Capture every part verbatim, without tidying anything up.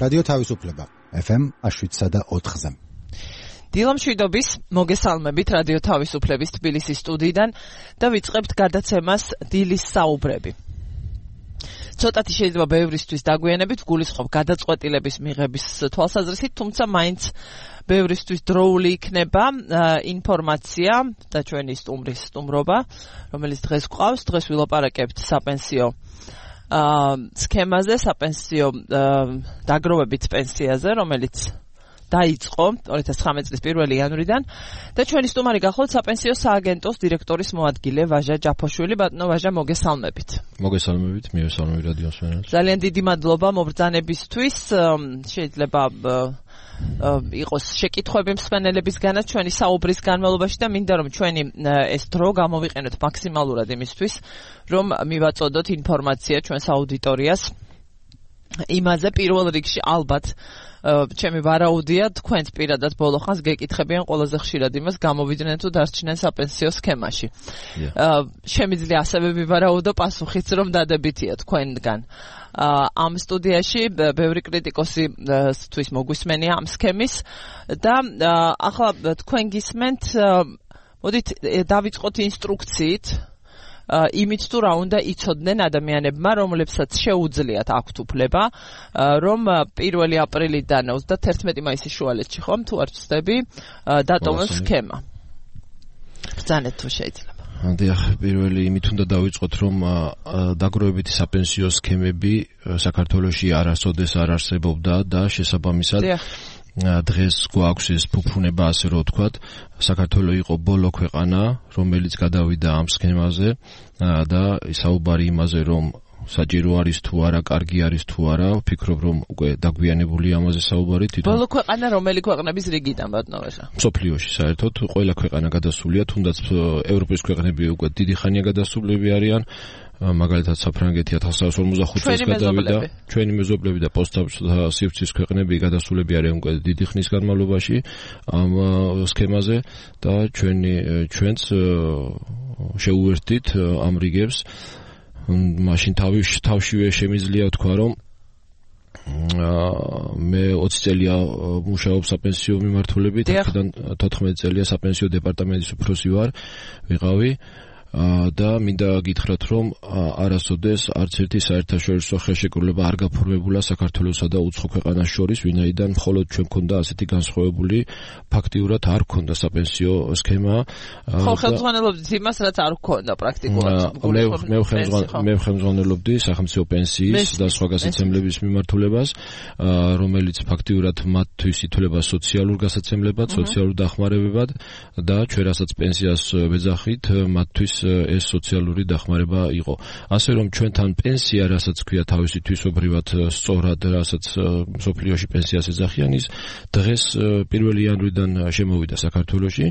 რადიო თავისუფლება ეფ ემ შვიდსა და ოთხზე. დილამშვიდობის მოგესალმებით რადიო თავისუფლების თბილისის სტუდიიდან და ვიწყებთ გადაცემას დილის საუბრები. ცოტათი შეიძლება ბევრისთვის დაგვიანებით გულისხმობ გადაწყვეტილების მიღების თვალსაზრისით, თუმცა მაინც ბევრისთვის დროული იქნება ინფორმაცია და ჩვენი სტუმრის სტუმრობა, რომელიც დღეს გვყავს. დღეს ვილაპარაკებთ საპენსიო სქემაზე, საპენსიო დაგროვებით პენსიაზე, რომელიც დაიწყო ორი ათას ცხრამეტი წლის პირველი იანვრიდან და ჩვენი სტუმარი გახლავთ საპენსიო სააგენტოს დირექტორის მოადგილე ვაჟა ჯაფოშვილი. ბატონო ვაჟა, მოგესალმებით. მოგესალმებით, მიესალმებით რადიო მსმენელს. ძალიან დიდი მადლობა მობრძანებისთვის. შეიძლება იყოს შეკითხვები მსმენელებისგანაც ჩვენი საუბრის განმავლობაში და მინდა რომ ჩვენი ეს დრო გამოვიყენოთ მაქსიმალურად იმისთვის, რომ მივაწოდოთ ინფორმაცია ჩვენს აუდიტორიას იმაზე, პირველ რიგში ალბათ ჩემი ვარაუდია, თქვენც პირადად ბოლო ხანს გეკითხებიან ყველაზე ხშირად იმას, გამოვიდნენ თუ დარჩნენ საპენსიო სქემაში. შემიძლია ასევე ვივარაუდო პასუხიც, რომ დადებითია თქვენგან. ამ სტუდიაში ბევრი კრიტიკოსი თვის მოგვისმენია ამ სქემის და ახლა თქვენ გისმენთ, მოდით დავიწყოთ ინსტრუქციით, იმით თუ რა უნდა იცოდნენ ადამიანებმა, რომლებსაც შეუძლიათ აქვთ უფლება, რომ პირველი აპრილიდან ოცდათერთმეტი მაისის შუალედში ხომ თუ არ ვცდები, დატოვონ სქემა. ბრძანეთ თუ შეიძლება. დიახ, პირველი იმით უნდა დავიწყოთ, რომ დაგროვებითი საპენსიო სქემები საქართველოში არასოდეს არ არსებობდა და შესაბამისად დღეს გვაქვს ეს ფუფუნება, ასე რომ ვთქვათ, საქართველო იყო ბოლო ქვეყანა, რომელიც გადავიდა ამ სქემაზე და საუბარი იმაზე, რომ საჭირო არის თუ არა, კარგი არის თუ არა, ვფიქრობ, რომ უკვე დაგვიანებული ამაზე საუბარი თვითონ. ბოლო ქვეყანა რომელი ქვეყნების რიგიდან, ბატონო ვაჟა? მსოფლიოში საერთოდ ყველა ქვეყანა გადასულია, თუნდაც ევროპის ქვეყნები უკვე დიდი ხანია გადასულები არიან. მაგალითად საფრანგეთი ათას ცხრაასი ორმოცდახუთი წელს გადავიდა. ჩვენი მეზობლები და პოსტსივრცის ქვეყნები გადასულები არიან უკვე დიდი ხნის განმავლობაში ამ სქემაზე და ჩვენი ჩვენც შეუერთდით ამ რიგებს. მაშინ თავშივე შემიძლია თქვა, რომ მე ოცი წელია მუშაობ საპენსიო მიმართულებით, აქედან თოთხმეტი წელია საპენსიო დეპარტამენტის უფროსი ვარ, ვიყავი. და მინდა გითხრათ, რომ არასოდეს არც ერთი საერთაშორისო ხელშეკრულება არ გაფორმებულა საქართველოსა და უცხო ქვეყანას შორის, ვინაიდან მხოლოდ ჩვენ გქონდა ასეთი განსხვავებული, ფაქტიურად არ გქონდა საპენსიო სქემა. ხო, ხელმძღვანელობდით იმას, რაც არ გქონდა პრაქტიკულად. მე ხელმძღვანელობდი სახელმწიფო პენსიის და სხვა გასაცემლების მიმართულებას, რომელიც ფაქტიურად მათთვის ითვლება სოციალურ გასაცემლებად, სოციალურ დახმარებებად და ჩვენ რასაც პენსიას ვეძახით, მათთვის ეს სოციალური დახმარება იყო. ასე რომ ჩვენთან პენსია, რასაც ქვია თავისი თვისობრივად სწორად, რასაც მსოფლიოში პენსიას ეძახიან, ის დღეს პირველი იანვრიდან შემოვიდა საქართველოში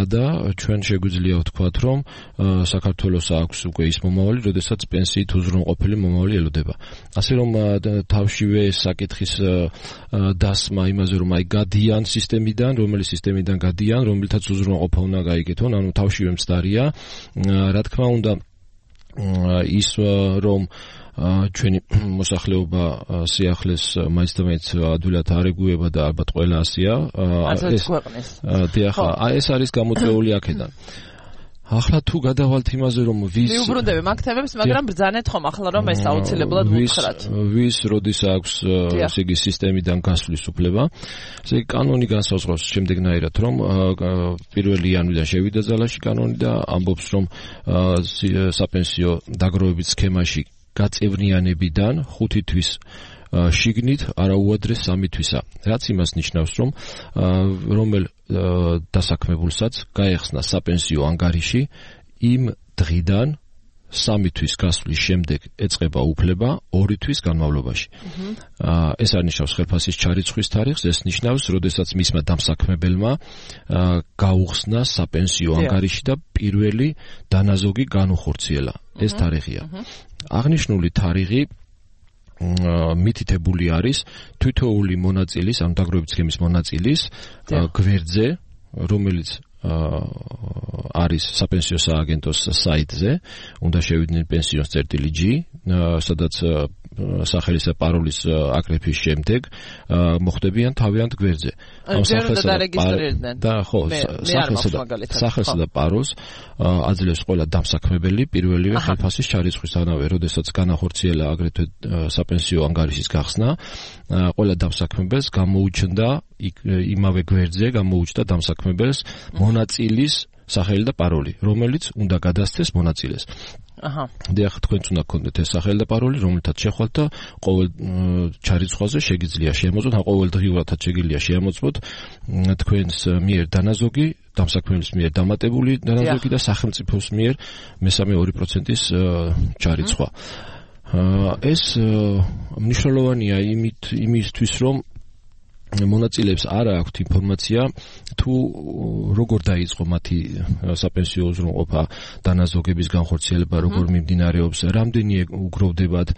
და ჩვენ შეგვიძლია ვთქვათ, რომ საქართველოს აქვს უკვე ის მომავალი, როდესაც პენსიით უზრუნველყოფილი მომავალი ელოდება. ასე რომ თავშივე საკითხის დასმა იმაზე, რომ აი გადიან სისტემიდან, რომელი სისტემიდან გადიან, რომელთაც უზრუნველყოფა უნდა გაიგეთონ, ანუ თავშივე მცდარია. რა თქმა უნდა, ის რომ ჩვენი მოსახლეობა სიახლეს მაინც და მაინც ადვილად არ ეგუება და ალბათ ყველა ასია. ეს არის გამოწვეული აქედან. ახლა თუ გადავალთ იმაზე, რომ ვის მიუბრუნდები მაგ თემებს, მაგრამ ბრძანეთ ხომ ახლა რომ ეს აუცილებლად ვუთხრათ. ვის როდის აქვს ესე იგი სისტემიდან გასვლის უფლება. ესე იგი კანონი განსაზღვრავს შემდეგნაირად, რომ პირველი იანვრიდან შევიდა ძალაში კანონი და ამბობს, რომ საპენსიო დაგროვებით სქემაში გაწევრიანებიდან ხუთი თვის შიგნით არაუადრეს სამი თვისა. რაც იმას ნიშნავს, რომ რომელ დასაქმებულსაც გაეხსნა საპენსიო ანგარიში, იმ დღიდან სამი თვის გასვლის შემდეგ ეწყება უფლება ორი თვის განმავლობაში. ეს არ ნიშნავს ხელფასის ჩარიცხვის თარიღს, ეს ნიშნავს, როდესაც მისმა დამსაქმებელმა გაუხსნა საპენსიო ანგარიში და პირველი დანაზოგი განუხორციელა. ეს თარიღია. აღნიშნული თარიღი მითითებული არის თითოეული მონაწილის, ანუ დაგროვებით სქემის მონაწილის გვერდზე, რომელიც არის საპენსიო სააგენტოს საიტზე, უნდა შევიდნენ pensions.gr, სადაც სახელის და პაროლის აკრეფის შემდეგ მოხდებიან თავიანთ გვერდზე. ამ სახელსა და ხო, სახელსა და პაროლს აძლევს ყველა დამსაქმებელი პირველივე ხელფასის ჩარიცხვისთანავე, როდესაც განახორციელა აგრეთვე საპენსიო ანგარიშის გახსნა, ყველა დამსაქმებელს გამოუჩნდა იმავე გვერდზე გამოუჩნდა დამსაქმებელს მონაწილის სახელი და პაროლი, რომელიც უნდა გადასცეს მონაწილეს. აჰა. დიახ, თქვენც უნდა გქონდეთ ეს სახელი და პაროლი, რომელთაც შეხვალთ და ყოველ ჩარიცხვაზე შეგიძლია შეამოწმოთ, ან ყოველ დღიურადაც შეგიძლია შეამოწმოთ თქვენს მიერ დანაზოგი, დამსაქმებლის მიერ დამატებული დანაზოგი და სახელმწიფოს მიერ მესამე ორი პროცენტის ჩარიცხვა. ეს მნიშვნელოვანია იმით იმისთვის, რომ მონაწილეებს არ აქვთ ინფორმაცია თუ როგორ დაიწყო მათი საპენსიო უზრუნველყოფა დანაზოგების განხორციელება, როგორ მიმდინარეობს, რამდენი უგროვდებათ.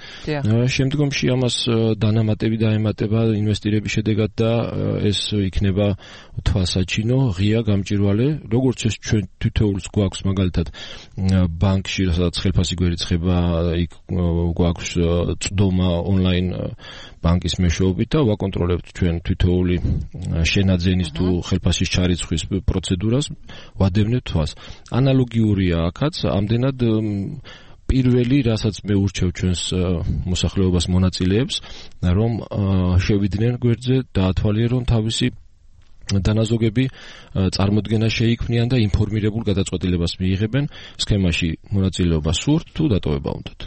შემდგომში ამას დანამატები დაემატება ინვესტირების შედეგად და ეს იქნება თვალსაჩინო, ღია გამჭვირვალე, როგორც ეს ჩვენ თითოეულს გვაქვს მაგალითად ბანკში, სადაც ხელფასი გვერიცხება, იქ გვაქვს წვდომა ონლაინ ბანკის მეშვეობით და ვაკონტროლებთ ჩვენ თითოეული შენაძენის თუ ხელფასის ჩარიცხვის პროცედურას, ვადევნებთ თვალს. ანალოგიურია აქაც, ამდენად პირველი, რასაც მე ურჩევ ჩვენს მოსახლეობას მონაწილეებს, რომ შევიდნენ გვერდზე, დაათვალიერონ თავისი დანაზოგები, წარმოდგენა შეიქმნიან და ინფორმირებულ გადაწყვეტილებას მიიღებენ სქემაში მონაწილეობა სურთ თუ დატოვება უნდათ.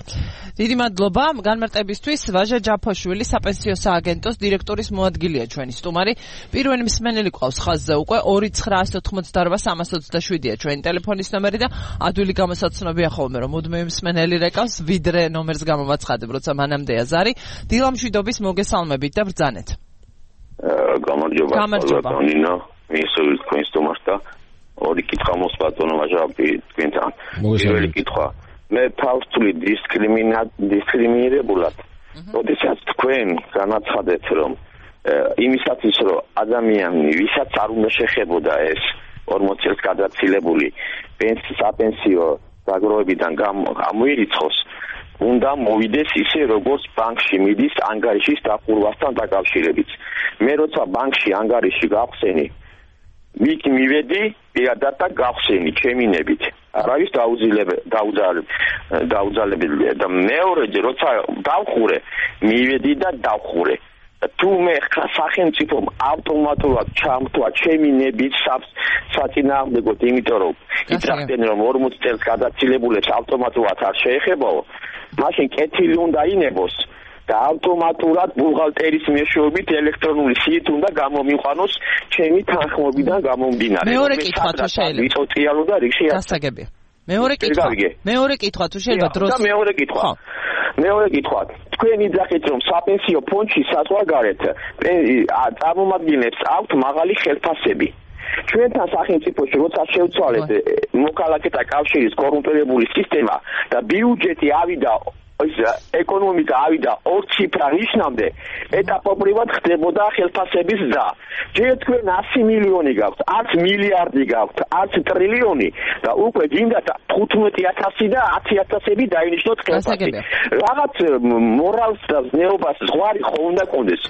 დიდი მადლობა განმარტებისთვის. ვაჟა ჯაფოშვილი, საპენსიო სააგენტოს დირექტორის მოადგილეა ჩვენი სტუმარი. პირველი მსმენელი ყავს ხაზზე უკვე ორი ცხრა ოთხმოცდაოთხ სამას ოცდაშვიდია ჩვენი ტელეფონის ნომერი და ადვილი გამოსაცნობია ხოლმე, რომ მუდმივი მსმენელი რეკავს, ვიდრე ნომერს გამოვაცხადებ, როცა მანამდეა ზარი. დილამშვიდობის მოგესალმებით და ბრძანეთ. გამარჯობა ბატონინო, მისულის თქვენს თომას და ორი კითხვა მოს ბატონო ვაჟაპი თქვენთან. პირველი კითხვა, მე თავსული დისკრიმინირებულად, როდესაც თქვენ განაცხადეთ, რომ იმისათვის, რომ ადამიანი, ვისაც არ უნდა შეხებოდა ეს ორმოც წელს გადაცილებული საპენსიო დაგროვებიდან გამოირიცხოს, უნდა მოვიდეს ისე როგორც ბანკში მიდის ანგარიშის დახურვასთან დაკავშირებით. მე როცა ბანკში ანგარიში გავხსენი, მით მივედი პირადად და გავხსენი ჩემინებით. არავის დაუძალებელი და მეორეჯერ როცა დავხურე, მივედი და დავხურე. თუ მე სახელმწიფომ ავტომატურად ჩამთვა ჩემინებით საწინააღმდეგოდ, იმიტომ რომ იძახდნენ რომ ორმოც წელს გადაცილებულებს ავტომატურად არ შეეხებაო, მაშინ კეთილი უნდა ინებოს და ავტომატურად ბუღალტერის მეშვეობით ელექტრონული სიით უნდა გამომიყვანოს ჩემი თანხმობიდან გამომდინარე. მეორე კითხვა თუ შეიძლება. ვიწოწიალო და რიგში გასაგებია. მეორე კითხვა. მეორე კითხვა თუ შეიძლება დროს. და მეორე კითხვა. მეორე კითხვა. თქვენ იძახით რომ საპენსიო ფონდში საზღვარგარეთ წარმომადგენლებს აქვთ მაღალი ხელფასები. ჩვენთან სახელმწიფოში როცა შევცვალეთ მოქალაქეთა კავშირის კორუმპირებული სისტემა და ბიუჯეტი ავიდა ეკონომიკა ავიდა ორ ციფრა ნიშნამდე, ეტაპობრივად ხდებოდა ხელფასების ზრდა. ჯერ თქვენ ასი მილიონი გაქვთ, არც მილიარდი გაქვთ, არც ტრილიონი და უკვე გინდათ თხუთმეტი ათასი და ათი ათასები დაინიშნოთ ხელფასი. რაღაც მორალს და ზნეობას ზღვარი ხო უნდა კონდეს.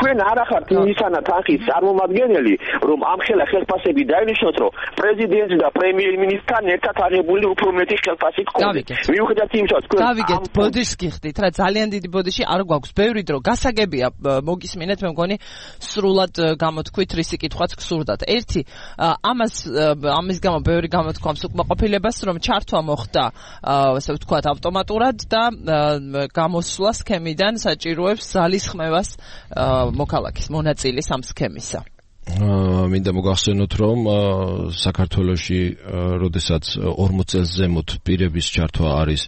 თქვენ არ ახართ იმისანა თანხის წარმომადგენელი, რომ ამ ხელა ხელფასები დაინიშნოთ, რომ პრეზიდენტი და პრემიერ-მინისტრთან ერთად აღებული უფრო მეტი ხელფასი გქონდეს. მიუხედავად იმისა, თქვენ ბოდიშს გიხდით რა, ძალიან დიდი ბოდიში არ გვაქვს, ბევრი დრო გასაგებია, მოგისმინეთ, მე მგონი სრულად გამოთქვით რისი კითხვაც გსურდათ. ერთი, ამას ამის გამო ბევრი გამოთქვამს უკმაყოფილებას, რომ ჩართვა მოხდა, ასე ვთქვათ, ავტომატურად და გამოსვლა სქემიდან საჭიროებს ზალისხმევას მოქალაქის მონაწილის ამ სქემისა. მინდა მოგახსენოთ, რომ საქართველოში, როდესაც ორმოც წელს ზემოთ პირების ჩართვა არის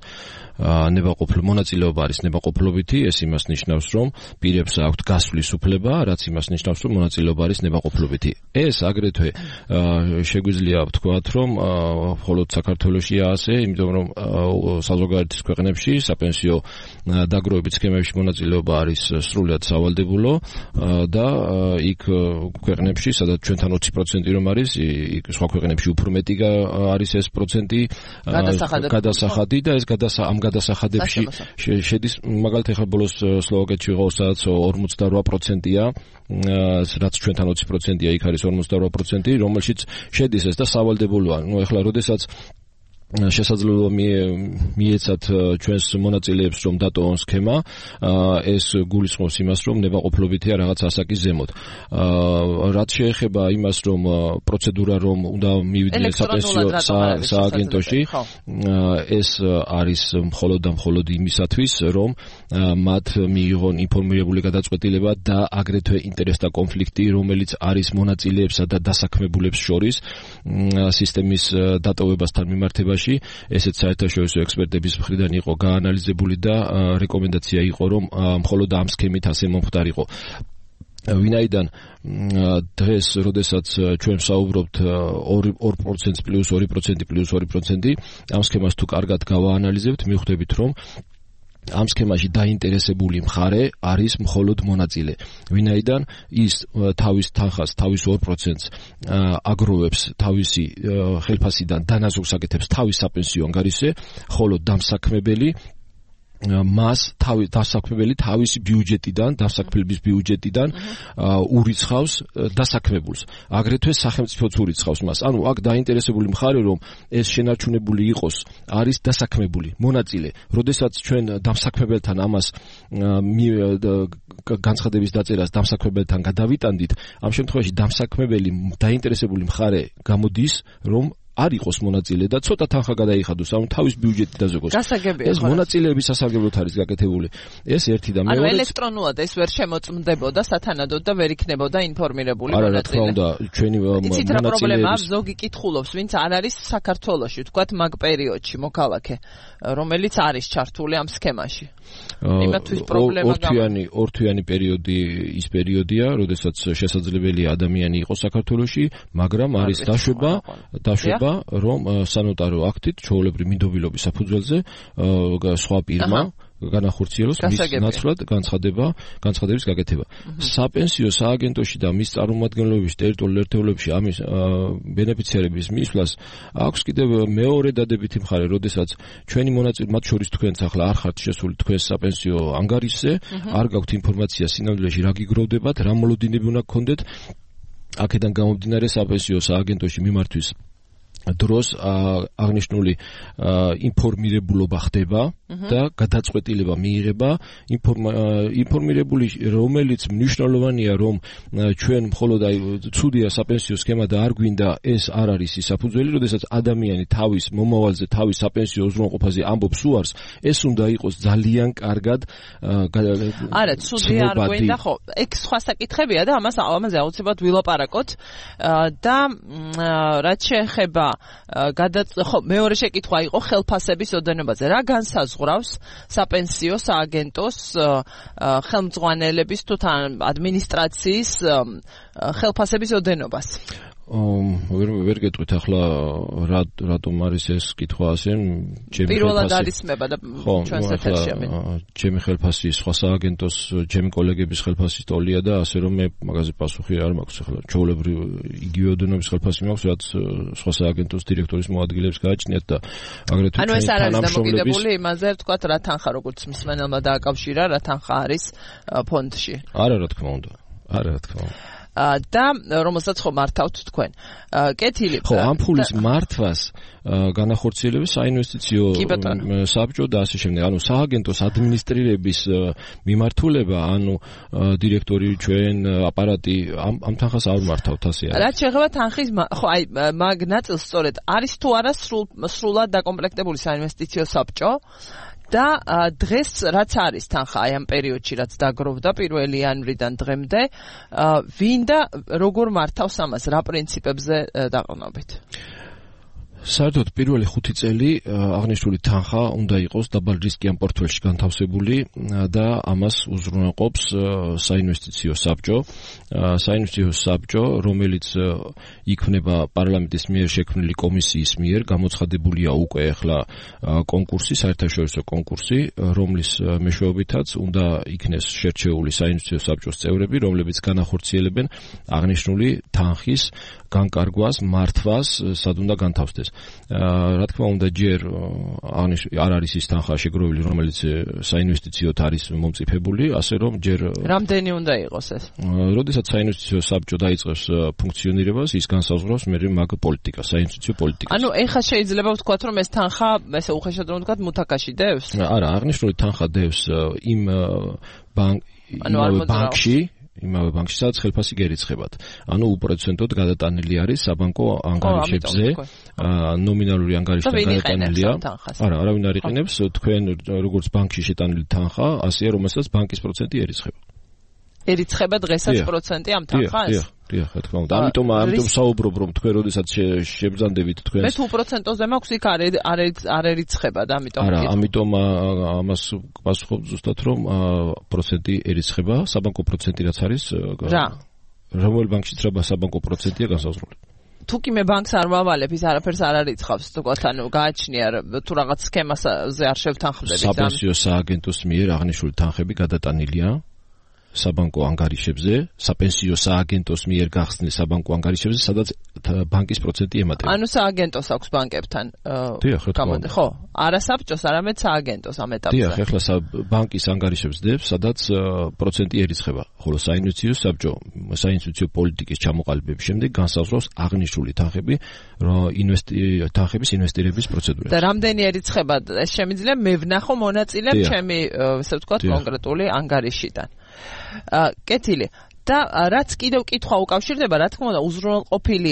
ნებაყოფლო მონაწილეობა არის ნებაყოფლობითი, ეს იმას ნიშნავს, რომ პირებს აქვთ გასვლის უფლება, რაც იმას ნიშნავს, რომ მონაწილეობა არის ნებაყოფლობითი. ეს აგრეთვე შეგვიძლია ვთქვათ, რომ მხოლოდ საქართველოშია ასე, იმიტომ რომ საზოგადოების ქვეყნებში საპენსიო დაგროვების სქემებში მონაწილეობა არის სრულად სავალდებულო და იქ ქვეყნებში, სადაც ჩვენთან ოცი პროცენტი რომ არის, იქ სხვა ქვეყნებში უფრო მეტი არის ეს პროცენტი გადასახადი და ეს გადასახადი ამ გადასახადებში შედის მაგალითად ახლა ბოლოს სლოვაკეთში ვიყავ სადაც ორმოცდარვა პროცენტია რაც ჩვენთან ოცი პროცენტია იქ არის ორმოცდარვა პროცენტი რომელშიც შედის ეს და სავალდებულოა ნუ ახლა როდესაც შესაძლოა მიეცათ ჩვენს მონაწილეებს რომ დატოვონ სქემა ეს გულისხმობს იმას რომ ნებაყოფლობითია რაღაც ასაკის ზემოთ რაც შეეხება იმას რომ პროცედურა რომ უნდა მივიდნენ საპენსიო სააგენტოში ეს არის მხოლოდ და მხოლოდ იმისათვის რომ მათ მიიღონ ინფორმირებული გადაწყვეტილება და აგრეთვე ინტერესთა კონფლიქტი რომელიც არის მონაწილეებსა და დასაქმებულებს შორის სისტემის დატოვებასთან მიმართებაში ესეც საერთაშორისო ექსპერტების მხრიდან იყო გაანალიზებული და რეკომენდაცია იყო რომ მხოლოდ ამ სქემით ასე მომხდარიყო. ვინაიდან დღეს როდესაც ჩვენ ვსაუბრობთ ორ პროცენტს პლუს ორი პროცენტი პლუს ორი პროცენტი ამ სქემას თუ კარგად გავაანალიზებთ მივხვდებით რომ ამ სქემაში დაინტერესებული მხარე არის მხოლოდ მონაწილე. ვინაიდან ის თავის თანხას, თავის ორ პროცენტს აგროვებს თავისი ხელფასიდან დანაზოგს აკეთებს თავის საპენსიო ანგარიშზე, ხოლო დამსაქმებელი მას თავი დასაქმებელი თავისი ბიუჯეტიდან, დასაქმების ბიუჯეტიდან ურიცხავს დასაქმებულს. აგრეთვე სახელმწიფოც ურიცხავს მას. ანუ აქ დაინტერესებული მხარე რომ ეს შენარჩუნებული იყოს, არის დასაქმებული, მონაწილე. როდესაც ჩვენ დამსაქმებელთან ამას განცხადების დაწერას დამსაქმებელთან გადავიტანდით, ამ შემთხვევაში დამსაქმებელი დაინტერესებული მხარე გამოდის, რომ არ იყოს მონაწილე და ცოტა თანხა გადაიხადოს, ანუ თავის ბიუჯეტი დაზოგოს. ეს მონაწილეების სასარგებლოდ არის გაკეთებული. ეს ერთი და მეორე. ანუ ელექტრონულად ეს ვერ შემოწმდებოდა სათანადოდ და ვერ იქნებოდა ინფორმირებული მონაწილე. არა, რა თქმა უნდა, ჩვენი მონაწილეების ზოგი კითხულობს, ვინც არ არის საქართველოში, თქვათ მაგ პერიოდში მოქალაქე, რომელიც არის ჩართული ამ სქემაში. იმათვის პრობლემა ორთვიანი ორთვიანი პერიოდი ის პერიოდია, როდესაც შესაძლებელია ადამიანი იყოს საქართველოში, მაგრამ არის დაშვება, დაშვება რომ სანოტარო აქტით ჩვეულებრივ მინდობილობის საფუძველზე სხვა პირმა განახორციელოს მის ნაცვლად განცხადება, განცხადების გაკეთება. საპენსიო სააგენტოში და მის წარმომადგენლობებში ტერიტორიულ ერთეულებში ამის ბენეფიციარების მისვლას აქვს კიდევ მეორე დადებითი მხარე, როდესაც ჩვენი მონაწილე, მათ შორის თქვენც ახლა არ ხართ შესული თქვენს საპენსიო ანგარიშზე, არ გაქვთ ინფორმაცია სინამდვილეში რა გიგროვდებათ, რა მოლოდინები უნდა გქონდეთ, აქედან გამომდინარე საპენსიო სააგენტოში მიმართვის დროს აღნიშნული ინფორმირებულობა ხდება და გადაწყვეტილება მიიღება ინფორმირებული რომელიც მნიშვნელოვანია რომ ჩვენ მხოლოდ აი ცუდია საპენსიო სქემა და არ გვინდა ეს არ არის ის საფუძველი, როდესაც ადამიანი თავის მომავალზე, თავის საპენსიო უზრუნველყოფაზე ამბობს უარს, ეს უნდა იყოს ძალიან კარგად არა, ცუდი არ გვინდა, ხო, ეგ სხვა საკითხებია და ამას ამაზე აუცილებლად ვილაპარაკოთ და რაც შეეხება ხო, მეორე შეკითხვა იყო ხელფასების ოდენობაზე. რა განსაზღვრავს საპენსიო სააგენტოს ხელმძღვანელების თუ თან ადმინისტრაციის ხელფასების ოდენობას? ვერ ვერ გეტყვით ახლა რა რატომ არის ეს კითხვა ასე ჩემი პირველად არისმება და ჩვენს ეთერში ამენ ჩემი ხელფასი სხვა სააგენტოს ჩემი კოლეგების ხელფასის ტოლია და ასე რომ მე მაგაზე პასუხი არ მაქვს ახლა ჩვეულებრივ იგივე ოდენობის ხელფასი მაქვს რაც სხვა სააგენტოს დირექტორის მოადგილეებს გააჩნიათ და აგრეთვე ანუ ეს არ არის დამოკიდებული იმაზე თქვათ რა თანხა როგორც მსმენელმა დააკავშირა რა თანხა არის ფონდში არა რა თქმა უნდა არა რა თქმა უნდა და რომელსაც ხო მართავთ თქვენ. კეთილი. ხო, ამ ფულის მართვას განახორციელებს საინვესტიციო საბჭო და ასე შემდეგ. ანუ სააგენტოს ადმინისტრირების მიმართულება, ანუ დირექტორი ჩვენ აპარატი ამ ამ თანხას არ მართავთ ასე არის. რაც შეეხება თანხის ხო აი მაგ ნაწილს სწორედ არის თუ არა სრულად დაკომპლექტებული საინვესტიციო საბჭო და დღეს რაც არის თანხა აი ამ პერიოდში რაც დაგროვდა პირველი იანვრიდან დღემდე ვინ და როგორ მართავს ამას რა პრინციპებზე დაყრდნობით? საერთოდ პირველი ხუთი წელი აღნიშნული თანხა უნდა იყოს დაბალ რისკიან პორტფელში განთავსებული და ამას უზრუნველყოფს საინვესტიციო საბჭო. საინვესტიციო საბჭო, რომელიც იქმნება პარლამენტის მიერ შექმნილი კომისიის მიერ, გამოცხადებულია უკვე ახლა კონკურსი, საერთაშორისო კონკურსი, რომლის მეშვეობითაც უნდა იქნეს შერჩეული საინვესტიციო საბჭოს წევრები, რომლებიც განახორციელებენ აღნიშნული თანხის განკარგვას, მართვას, სად უნდა განთავსდეს. რა თქმა უნდა ჯერ არ არის ის თანხა შეგროვილი, რომელიც საინვესტიციოდ არის მომწიფებული, ასე რომ ჯერ რამდენი უნდა იყოს ეს? როდესაც საინვესტიციო საბჭო დაიწყებს ფუნქციონირებას, ის განსაზღვრავს მე მაგ პოლიტიკას, საინვესტიციო პოლიტიკას. ანუ ეხლა შეიძლება ვთქვათ, რომ ეს თანხა, ესე უხეშად რომ ვთქვათ, მუთაკაში დევს? არა, აღნიშნული თანხა დევს იმ ბანკში, იმავე ბანკში, სადაც ხელფასი გერიცხებათ. ანუ უპროცენტოდ გადატანილი არის საბანკო ანგარიშებზე, ნომინალური ანგარიშთან გადატანილია. არა, არავინ არ იყენებს, თქვენ როგორც ბანკში შეტანილი თანხა, ასეა, რომელსაც ბანკის პროცენტი ერიცხება. ერიცხება დღესაც პროცენტი ამ თანხას? დიახ, დიახ, რა თქმა უნდა. ამიტომ ამიტომ საუბრობ, რომ თქვენ როდესაც შებრძანდებით თქვენს მე თუ პროცენტოზე მაქვს იქ არ არ ერიცხება და ამიტომ არა, ამიტომ ამას პასუხობ ზუსტად, რომ პროცენტი ერიცხება, საბანკო პროცენტი რაც არის, რა? რომელ ბანკშიც რა საბანკო პროცენტია განსაზღვრული. თუ კი მე ბანკს არ მავალებ, ის არაფერს არ არიცხავს, თქვათ, ანუ გააჩნია თუ რაღაც სქემაზე არ შევთანხმდებით. საპენსიო სააგენტოს მიერ აღნიშნული თანხები გადატანილია საბანკო ანგარიშებზე, საპენსიო სააგენტოს მიერ გახსნილ საბანკო ანგარიშებზე, სადაც ბანკის პროცენტი ემატება. ანუ სააგენტოს აქვს ბანკებთან. დიახ, რა თქმა უნდა. ხო, არა საბჭოს, არამედ სააგენტოს ამ ეტაპზე. დიახ, ეხლა ბანკის ანგარიშებს დებს, სადაც პროცენტი ერიცხება, ხოლო საინვესტიციო საბჭო, საინვესტიციო პოლიტიკის ჩამოყალიბების შემდეგ განსაზღვრავს აღნიშნული თანხები, თანხების ინვესტირების პროცედურას. და რამდენი ერიცხება ეს შემიძლია მე ვნახო მონაწილე ჩემი, ესე ვთქვათ, კონკრეტული ანგარიშიდან. კეთილი და რაც კიდევ კითხვა უკავშირდება, რა თქმა უნდა, უზრუნველყოფილი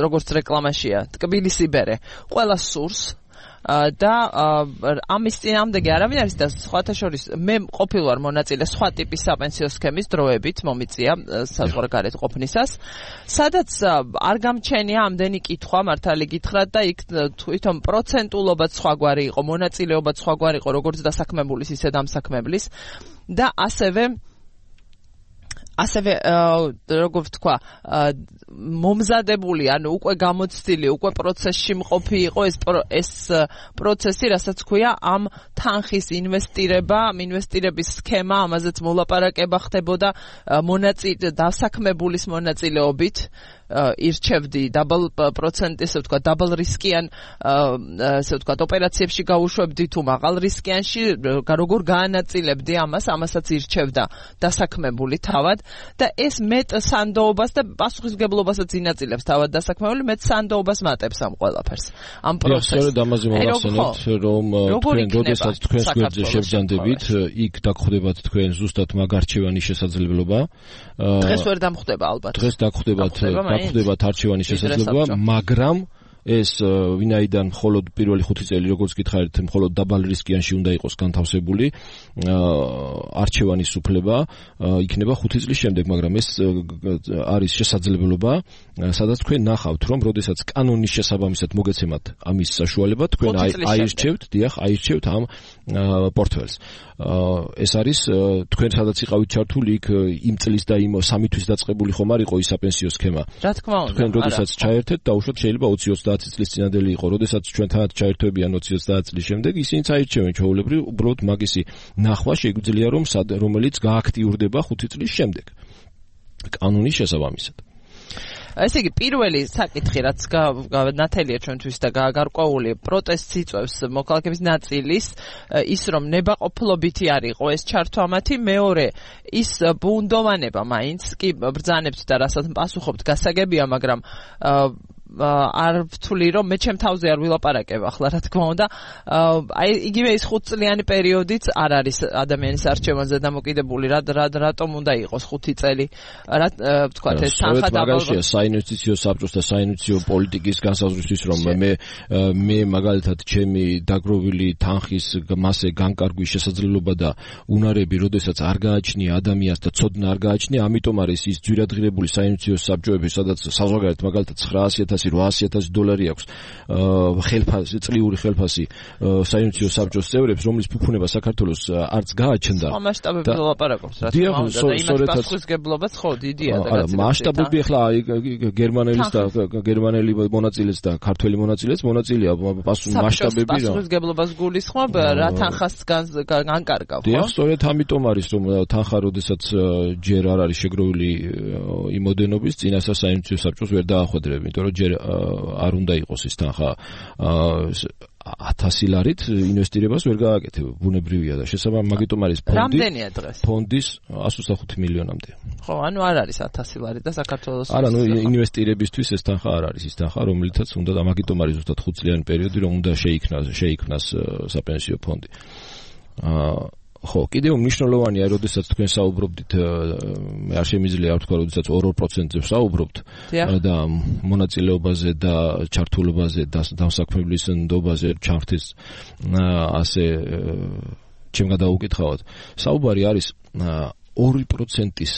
როგორც რეკლამაშია, ტკბილისი ბერე, ყველა სურს და ამის წინააღმდეგი არავინ არის და სხვათა შორის მე ყოფილ ვარ მონაწილე სხვა ტიპის საპენსიო სქემის დროებით მომიწია საზღვარგარეთ ყოფნისას, სადაც არ გამჩენია ამდენი კითხვა მართალი გითხრათ და იქ თვითონ პროცენტულობაც სხვაგვარი იყო, მონაწილეობაც სხვაგვარი იყო, როგორც დასაქმებულის ისე დამსაქმებლის და ასევე ასევე როგორ ვთქვა, მომზადებული, ანუ უკვე გამოცდილი, უკვე პროცესში მყოფი იყო ეს ეს პროცესი, რასაც ქვია ამ თანხის ინვესტირება, ამ ინვესტირების სქემა, ამაზეც მოლაპარაკება ხდებოდა მონაწილე დასაქმებულის მონაწილეობით. ირჩევდი დაბლ პროცენტი, ესე ვთქვა, დაბლ რისკიან, ესე ვთქვა, ოპერაციებში გავუშვებდი თუ მაღალ რისკიანში, როგორ გაანაწილებდი ამას, ამასაც ირჩევდა დასაქმებული თავად და ეს მეტ სანდოობას და პასუხისმგებლობასაც ინაწილებს თავად დასაქმებული, მეტ სანდოობას მატებს ამ ყველაფერს. ამ პროცესს. სწორედ ამაზე მოვახსენებთ, რომ თქვენ როდესაც თქვენს გვერდზე შევჯანდებით, იქ დაგხვდებათ თქვენ ზუსტად მაგ არჩევანის შესაძლებლობა. დღეს ვერ დამხვდება ალბათ. დღეს დაგხვდებათ დაგხვდებათ არჩევანის შესაძლებლობა, მაგრამ ეს ვინაიდან მხოლოდ პირველი ხუთი წელი, როგორც გითხარით, მხოლოდ დაბალ რისკიანში უნდა იყოს განთავსებული არჩევანის უფლება, იქნება ხუთი წლის შემდეგ, მაგრამ ეს არის შესაძლებლობა, სადაც თქვენ ნახავთ, რომ როდესაც კანონის შესაბამისად მოგეცემათ ამის საშუალება, თქვენ აირჩევთ, დიახ, აირჩევთ ამ პორტფელს. ეს არის თქვენ სადაც იყავით ჩართული, იქ იმ წლის და იმ სამი თვის დაწყებული ხომ არ იყო ის საპენსიო სქემა. რა თქმა უნდა. თქვენ როდესაც ჩაერთეთ, დაუშვათ შეიძლება ოცი ოცდაათი წლის წინადელი იყო, როდესაც ჩვენთანაც ჩაერთვებიან ოცი ოცდაათი წლის შემდეგ, ისინიც აირჩევენ ჩვეულებრივ, უბრალოდ მაგისი ნახვა შეგვიძლია რომ რომელიც გააქტიურდება ხუთი წლის შემდეგ. კანონის შესაბამისად. ესე იგი, პირველი საკითხი, რაც ნათელია ჩვენთვის და გარკვეული პროტესტს იწვევს მოქალაქეების ნაწილის, ის რომ ნებაყოფლობითი არ იყო ეს ჩართვა მათი, მეორე ის ბუნდოვანება მაინც კი ბრძანებთ და რასაც პასუხობთ გასაგებია, მაგრამ არ ვთვლი რომ მე ჩემ თავზე არ ვილაპარაკებ ახლა რა თქმა უნდა, აი იგივე ის ხუთწლიანი პერიოდიც არ არის ადამიანის არჩევანზე დამოკიდებული, რა რატომ უნდა იყოს ხუთი წელი, რა ვთქვათ ეს თანხა დაბალია საინვესტიციო საბჭოს და საინვესტიციო პოლიტიკის განსაზღვრისთვის, რომ მე მე მაგალითად ჩემი დაგროვილი თანხის მასე განკარგვის შესაძლებლობა და უნარები, როდესაც არ გააჩნია ადამიანს და ცოდნა არ გააჩნია, ამიტომ არის ის ძვირადღირებული საინვესტიციო საბჭოები, სადაც საზღვარგარეთ მაგალითად ცხრაასი ათასი რვაასი ათასი დოლარი აქვს ხელფასი, წლიური ხელფასი საინვესტიციო საბჭოს წევრებს, რომლის ფუფუნება საქართველოს არც გააჩნდა. სხვა მასშტაბები ვლაპარაკობს, რა თქმა უნდა, და იმას პასუხისმგებლობაც ხო დიდია და გაცილებით. მასშტაბები ახლა გერმანელის და გერმანელი მონაწილეც და ქართველი მონაწილეც მონაწილეა მასშტაბები რა. პასუხისმგებლობას გულისხმობ რა თანხას განკარგავ, ხო? დიახ, სწორედ ამიტომ არის რომ თანხა როდესაც ჯერ არ არის შეგროვილი იმოდენობის წინასწარ საინვესტიციო საბჭოს ვერ დაახვედრებ, იმიტომ რომ ჯერ ჯერ არ უნდა იყოს ის თანხა ათასი ლარით ინვესტირებას ვერ გააკეთებ, ბუნებრივია და შესაბამისად მაგიტომ არის ფონდი. რამდენია დღეს? ფონდის εκατს ოცდახუთი მილიონამდე. ხო, ანუ არ არის ათასი ლარი და საქართველოს. არა, ნუ ინვესტირებისთვის ეს თანხა არ არის ის თანხა, რომელიცაც უნდა და მაგიტომ არის ზუსტად ხუთ წლიანი პერიოდი, რომ უნდა შეიქმნას, შეიქმნას საპენსიო ფონდი. აა ხო, კიდევ მნიშვნელოვანია, როდესაც თქვენ საუბრობთ, მე არ შემიძლია არ ვთქვა, როდესაც ორ პროცენტზე ვსაუბრობთ და მონაწილეობაზე და ჩართულობაზე და დამსაქმებლის ნდობაზე ჩართის ასე ჩემ გადაუკითხავთ. საუბარი არის ორი პროცენტის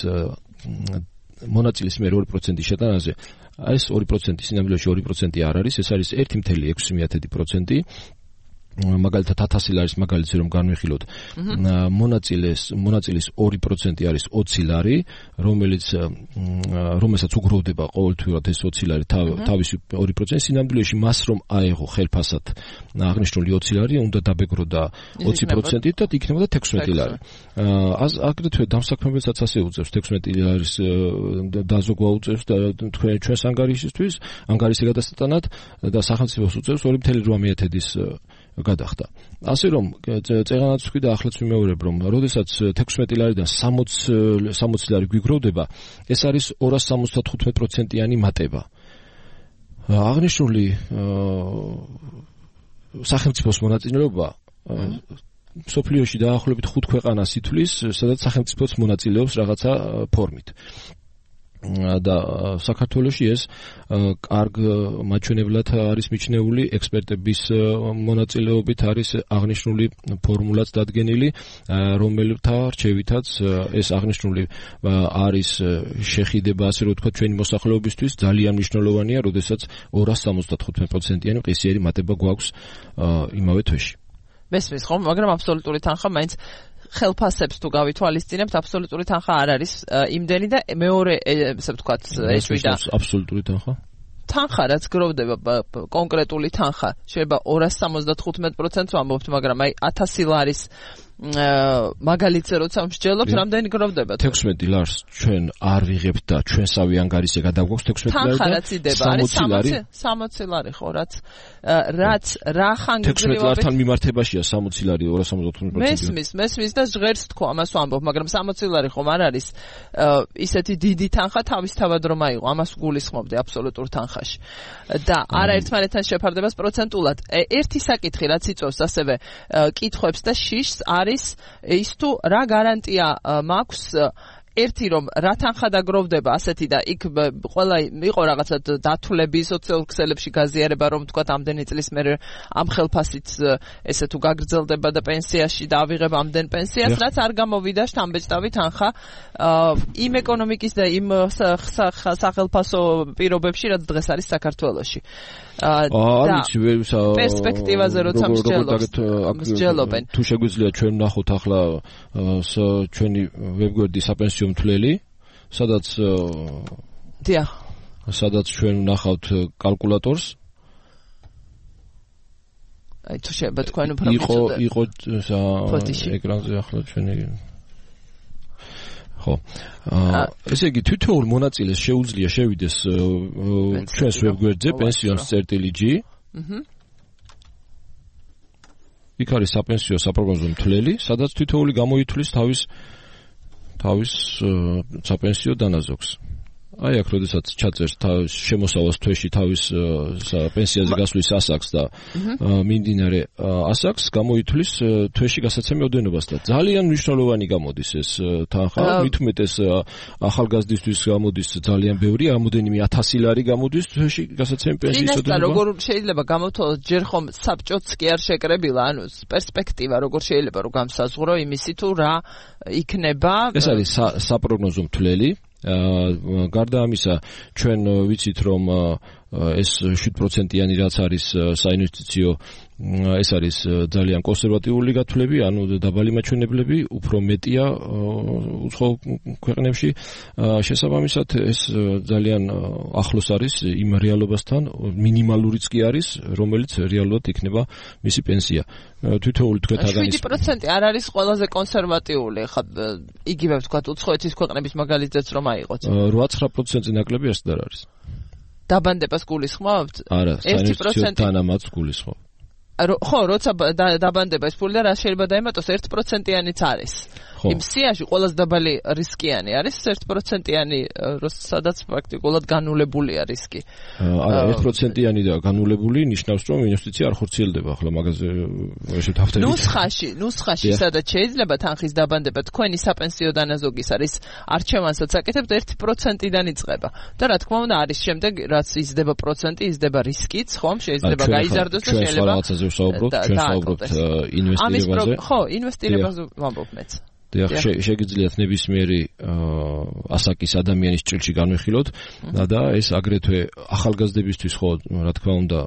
მონაწილის მიერ ორი პროცენტის შეტანაზე. ეს ორი პროცენტი სინამდვილეში ორი პროცენტი არ არის, ეს არის ერთი კoma ექვსი პროცენტი. მაგალითად ათასი ლარის მაგალითზე რომ განვიხილოთ, მონაწილეს მონაწილის ორი პროცენტი არის ოცი ლარი, რომელიც რომელსაც უგროვდება ყოველთვიურად ეს ოცი ლარი თავისი ორი პროცენტი, სინამდვილეში მას რომ აეღო ხელფასად აღნიშნული ოცი ლარი, უნდა დაბეგრო და ოცი პროცენტით და იქნებოდა თექვსმეტი ლარი. აგრეთვე დამსაქმებელსაც ასე უწევს თექვსმეტი ლარის დაზოგვა უწევს და თქვენ ჩვენს ანგარიშისთვის, ანგარიში გადასტანად და სახელმწიფოს უწევს ორი კoma ათედის გადახდა. ასე რომ წეღანაც ვქი და ახლაც ვიმეორებ, რომ როდესაც თექვსმეტი ლარიდან სამოცი ლარი გვიგროვდება, ეს არის ორას სამოცდათხუთმეტ პროცენტიანი მატება. აღნიშნული სახელმწიფოს მონაწილეობა სოფლიოში დაახლოებით ხუთ ქვეყანას ითვლის, სადაც სახელმწიფოც მონაწილეობს რაღაცა ფორმით. და საქართველოში ეს კარგ მაჩვენებლად არის მიჩნეული, ექსპერტების მონაწილეობით არის აღნიშნული ფორმულაც დადგენილი, რომელთა რჩევითაც ეს აღნიშნული არის შეხიდება, ასე რომ ვთქვათ, ჩვენი მოსახლეობისთვის ძალიან მნიშვნელოვანია, როდესაც ორას სამოცდათხუთმეტ პროცენტიანი ყისიერი მატება გვაქვს იმავე თვეში. მესმის ხომ, მაგრამ აბსოლუტური თანხა მაინც ხელფასებს თუ გავითვალისწინებთ, აბსოლუტური თანხა არ არის იმდენი და მეორე, ესე ვთქვათ, ეჭვიდა. აბსოლუტური თანხა? თანხა, რაც გროვდება კონკრეტული თანხა, შეიძლება ორას სამოცდათხუთმეტ პროცენტს ვამბობთ, მაგრამ აი ათასი ლარის მაგალითზე როცა მსჯელობთ, რამდენი გროვდება? თექვსმეტი ლარს ჩვენ არ ვიღებთ და ჩვენსავე ანგარიში გადაგვაქვს თექვსმეტი ლარი და თანხა რაც იდება არის სამოცი ლარი ხო, რაც რაც რა ხანგრძლივობით თექვსმეტ ლართან მიმართებაშია სამოცი ლარი ორას სამოცდათხუთმეტ პროცენტი. მესმის, მესმის და ჟღერს თქო, ამას ვამბობ, მაგრამ სამოცი ლარი ხომ არ არის ისეთი დიდი თანხა თავისთავად რომ აიღო, ამას გულისხმობდი აბსოლუტურ თანხაში. და არაერთმანეთთან შეფარდებას პროცენტულად. ერთი საკითხი რაც იწვევს ასევე კითხვებს და შიშს არის ის თუ რა გარანტია მაქვს ერთი რომ რა თანხა დაგროვდება ასეთი და იქ ყველა იყო რაღაცა დათვლები სოციალურ ქსელებში გაზიარება რომ თქვა ამდენი წლის მერე ამ ხელფასით ესე თუ გაგრძელდება და პენსიაში დავიღებ ამდენ პენსიას რაც არ გამოვიდა შთამბეჭდავი თანხა იმ ეკონომიკის და იმ სახელფასო პირობებში რაც დღეს არის საქართველოში. პერსპექტივაზე როცა მსჯელობენ. თუ შეგვიძლია ჩვენ ვნახოთ ახლა ჩვენი ვებგვერდი საპენსიო მთლელი, სადაც დიახ, სადაც ჩვენ ვნახავთ კალკულატორს. აი თუ შეიძლება თქვენ უფრო იყო იყო ეკრანზე ახლა ჩვენი ხო. ესე იგი თითოეულ მონაწილეს შეუძლია შევიდეს ჩვენს ვებგვერდზე pensions წერტილი ჯი. აჰა. იქ არის საპენსიო საპროგნოზო მთლელი, სადაც თითოეული გამოითვლის თავის თავის საპენსიო დანაზოგს. აი აქ როდესაც ჩაწერს თავის შემოსავალს თვეში თავის პენსიაზე გასვლის ასაკს და მიმდინარე ასაკს გამოითვლის თვეში გასაცემი ოდენობას და ძალიან მნიშვნელოვანი გამოდის ეს თანხა, მით უმეტეს ახალგაზრდისთვის გამოდის ძალიან ბევრი, რამოდენიმე ათასი ლარი გამოდის თვეში გასაცემი პენსიის ოდენობა. წინასწარ როგორ შეიძლება გამოვთვალოთ, ჯერ ხომ საბჭოც კი არ შეკრებილა, ანუ პერსპექტივა როგორ შეიძლება რომ გამსაზღვრო იმისი თუ რა იქნება. ეს არის საპროგნოზო მთლელი. გარდა ამისა ჩვენ ვიცით რომ ეს შვიდ პროცენტიანი რაც არის საინვესტიციო ეს არის ძალიან კონსერვატიული გათვლები, ანუ დაბალი მაჩვენებლები, უფრო მეტია უცხო ქვეყნებში. შესაბამისად ეს ძალიან ახლოს არის იმ რეალობასთან, მინიმალურიც კი არის, რომელიც რეალურად იქნება მისი პენსია. თითოეული თქვენ აღნიშნეთ შვიდი პროცენტი არ არის ყველაზე კონსერვატიული, ხა იგივე ვთქვათ უცხოეთის ქვეყნების მაგალითზეც რომ აიღოთ. რვა ცხრა პროცენტზე ნაკლები არც არ არის. დაბანდებას გულისხმობთ? არა, საინვესტიციო დანამატს გულისხმობ. ხო, როცა დაბანდება ეს ფული და რა შეიძლება დაემატოს ერთ პროცენტიანიც არის. იმ სიაში ყველაზე დაბალი რისკიანი არის ერთ პროცენტიანი, სადაც პრაქტიკულად განულებულია რისკი. არა, ერთ პროცენტიანი და განულებული ნიშნავს, რომ ინვესტიცია არ ხორციელდება, ახლა მაგაზე ესე თავთები. ნუსხაში, ნუსხაში სადაც შეიძლება თანხის დაბანდება, თქვენი საპენსიო დანაზოგის არის არჩევანსაც აკეთებთ ერთ პროცენტიდან იწყება. და რა თქმა უნდა არის შემდეგ, რაც იზრდება პროცენტი, იზრდება რისკიც, ხომ, შეიძლება გაიზარდოს და შეიძლება ვსაუბრობთ, ჩვენ ვსაუბრობთ ინვესტირებაზე. ხო, ინვესტირებაზე ვამბობ მეც. დიახ, შეგიძლიათ ნებისმიერი ასაკის ადამიანის ჭრილში განვიხილოთ და ეს აგრეთვე ახალგაზრდებისთვის ხო, რა თქმა უნდა,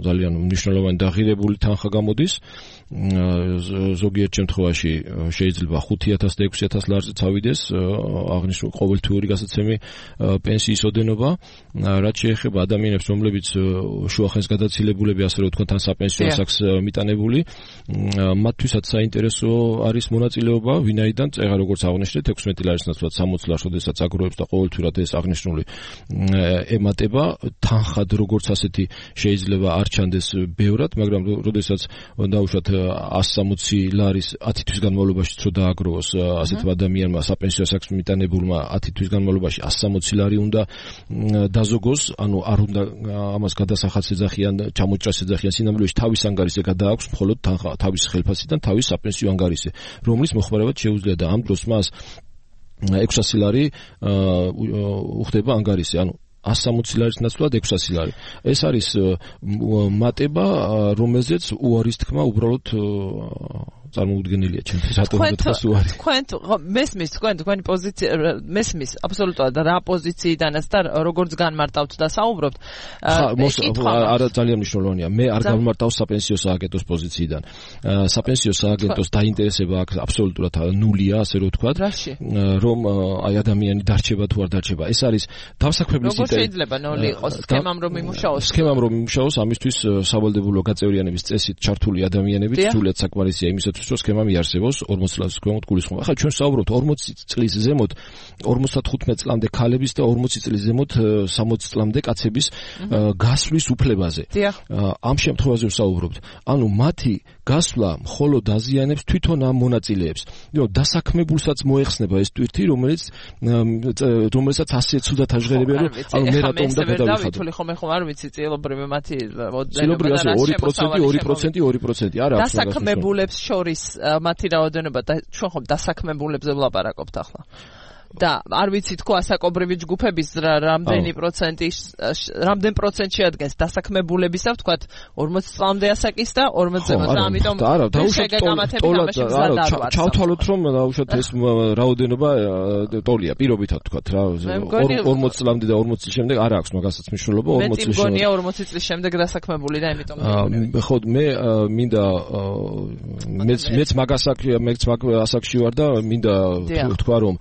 ძალიან მნიშვნელოვანი და ღირებული თანხა გამოდის. ზოგიერთ შემთხვევაში შეიძლება ხუთი ათასი და ექვსი ათასი ლარზე წავიდეს აღნიშნული ყოველთვიური გასაცემი პენსიის ოდენობა, რაც შეეხება ადამიანებს, რომლებიც შუახნის გადაცილებულები, ასე რომ ვთქვათ, ან საპენსიო ასაკს მიტანებული, მათთვისაც საინტერესო არის მონაწილეობა, ვინაიდან წეღა როგორც აღნიშნეთ, ექვსმეტი ლარის ნაცვლად სამოცი ლარს, როდესაც აგროვებს და ყოველთვიურად ეს აღნიშნული ემატება, თანხად როგორც ასეთი შეიძლება არ ჩანდეს ბევრად, მაგრამ როდესაც დაუშვათ ასი სამოცი ლარის ათი თვის განმავლობაში რო დააგროვოს ასეთ ადამიანმა საპენსიო ასაკს მიტანებულმა ათი თვის განმავლობაში ასი სამოცი ლარი უნდა დაზოგოს, ანუ არ უნდა ამას გადასახადს ეძახიან, ჩამოჭრას ეძახიან, სინამდვილეში თავის ანგარიშზე გადააქვს მხოლოდ თავის ხელფასიდან თავის საპენსიო ანგარიშზე, რომლის მოხმარებაც შეუძლია და ამ დროს მას ექვსასი ლარი უხდება ანგარიშზე, ანუ ასი სამოცი ლარის ნაცვლად ექვსასი ლარი. ეს არის მატება, რომელზეც უარის თქმა უბრალოდ წარმოუდგენელია ჩემთვის, რატომ თქვას უარი. თქვენ მესმის, თქვენ თქვენი პოზიცია მესმის აბსოლუტურად რა პოზიციიდანაც და როგორც განმარტავთ და საუბრობთ. არა, ძალიან მნიშვნელოვანია. მე არ განმარტავ საპენსიო სააგენტოს პოზიციიდან. საპენსიო სააგენტოს დაინტერესება აქ აბსოლუტურად ნულია, ასე რომ ვთქვათ, რომ აი ადამიანი დარჩება თუ არ დარჩება. ეს არის დავსაქმებლის ინტერესი. როგორ შეიძლება ნული იყოს სქემამ რომ იმუშაოს? სქემამ რომ იმუშაოს, ამისთვის სავალდებულო გაწევრიანების წესით ჩართული ადამიანები სრულიად საკმარისია იმისათვის, რომ სქემა მიარსებოს ორმოცი წლის ქვემოთ გულისხმობა. ახლა ჩვენ ვსაუბრობთ ორმოცი წლის ზემოთ ორმოცდათხუთმეტ წლამდე ქალების და ორმოცი წლის ზემოთ სამოცი წლამდე კაცების გასვლის უფლებაზე. ამ შემთხვევაზე ვსაუბრობთ. ანუ მათი გასვლა მხოლოდ აზიანებს თვითონ ამ მონაწილეებს. დასაქმებულსაც მოეხსნება ეს ტვირთი, რომელიც რომელსაც ასე ცუდად აჟღერებია, რომ ანუ მე რატომ უნდა გადავიხადო. თული ხომ ხომ არ ვიცი წილობრივი მათი წილობრივი ასე ორი პროცენტი, ორი პროცენტი, ორი პროცენტი არა აქვს. დასაქმებულებს შორის მათი რაოდენობა და ჩვენ ხომ დასაქმებულებზე ვლაპარაკობთ ახლა. და არ ვიცი თქო ასაკობრივი ჯგუფების რამდენი პროცენტი რამდენ პროცენტ შეადგენს დასაქმებულებისა, ვთქვათ ორმოცი წლამდე ასაკის და ორმოცი ზემოთ, ამიტომ ჩავთვალოთ რომ დაუშვათ ეს რაოდენობა ტოლია პირობითად ვთქვათ რა, ორმოცი წლამდე და ორმოცი წლის შემდეგ არ აქვს მაგასაც მნიშვნელობა, ორმოცი წლის შემდეგ. მე მგონია ორმოცი წლის შემდეგ დასაქმებული და ამიტომ ხო მე მინდა მეც მეც მაგასაკ მეც მაგ ასაკში ვარ და მინდა ვთქვა რომ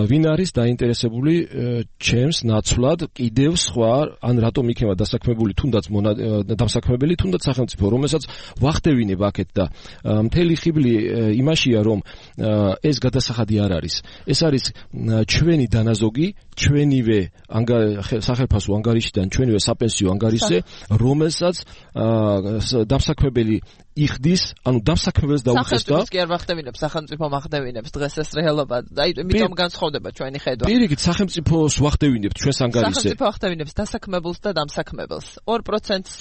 ვინ არის დაინტერესებული ჩემს ნაცვლად კიდევ სხვა, ან რატომ იქნება დასაქმებული თუნდაც დასაქმებელი, თუნდაც სახელმწიფო, რომელსაც ვახდევინებ აქეთ და მთელი ხიბლი იმაშია, რომ ეს გადასახადი არ არის. ეს არის ჩვენი დანაზოგი, ჩვენივე სახელმწიფო ანგარიშიდან, ჩვენივე საპენსიო ანგარიშზე, რომელსაც დასაქმებელი იხდის, ანუ დასაქმებელს დაუწესდა. სახელმწიფოს კი არ ვახდევინებს, სახელმწიფო მახდევინებს დღეს ეს რეალობა. აი, იმიტომ განსხვავდება ჩვენი ხედვა. პირიქით, სახელმწიფოს ვახდევინებთ ჩვენს ანგარიშზე. სახელმწიფო ვახდევინებს დასაქმებელს და დამსაქმებელს. ორ პროცენტს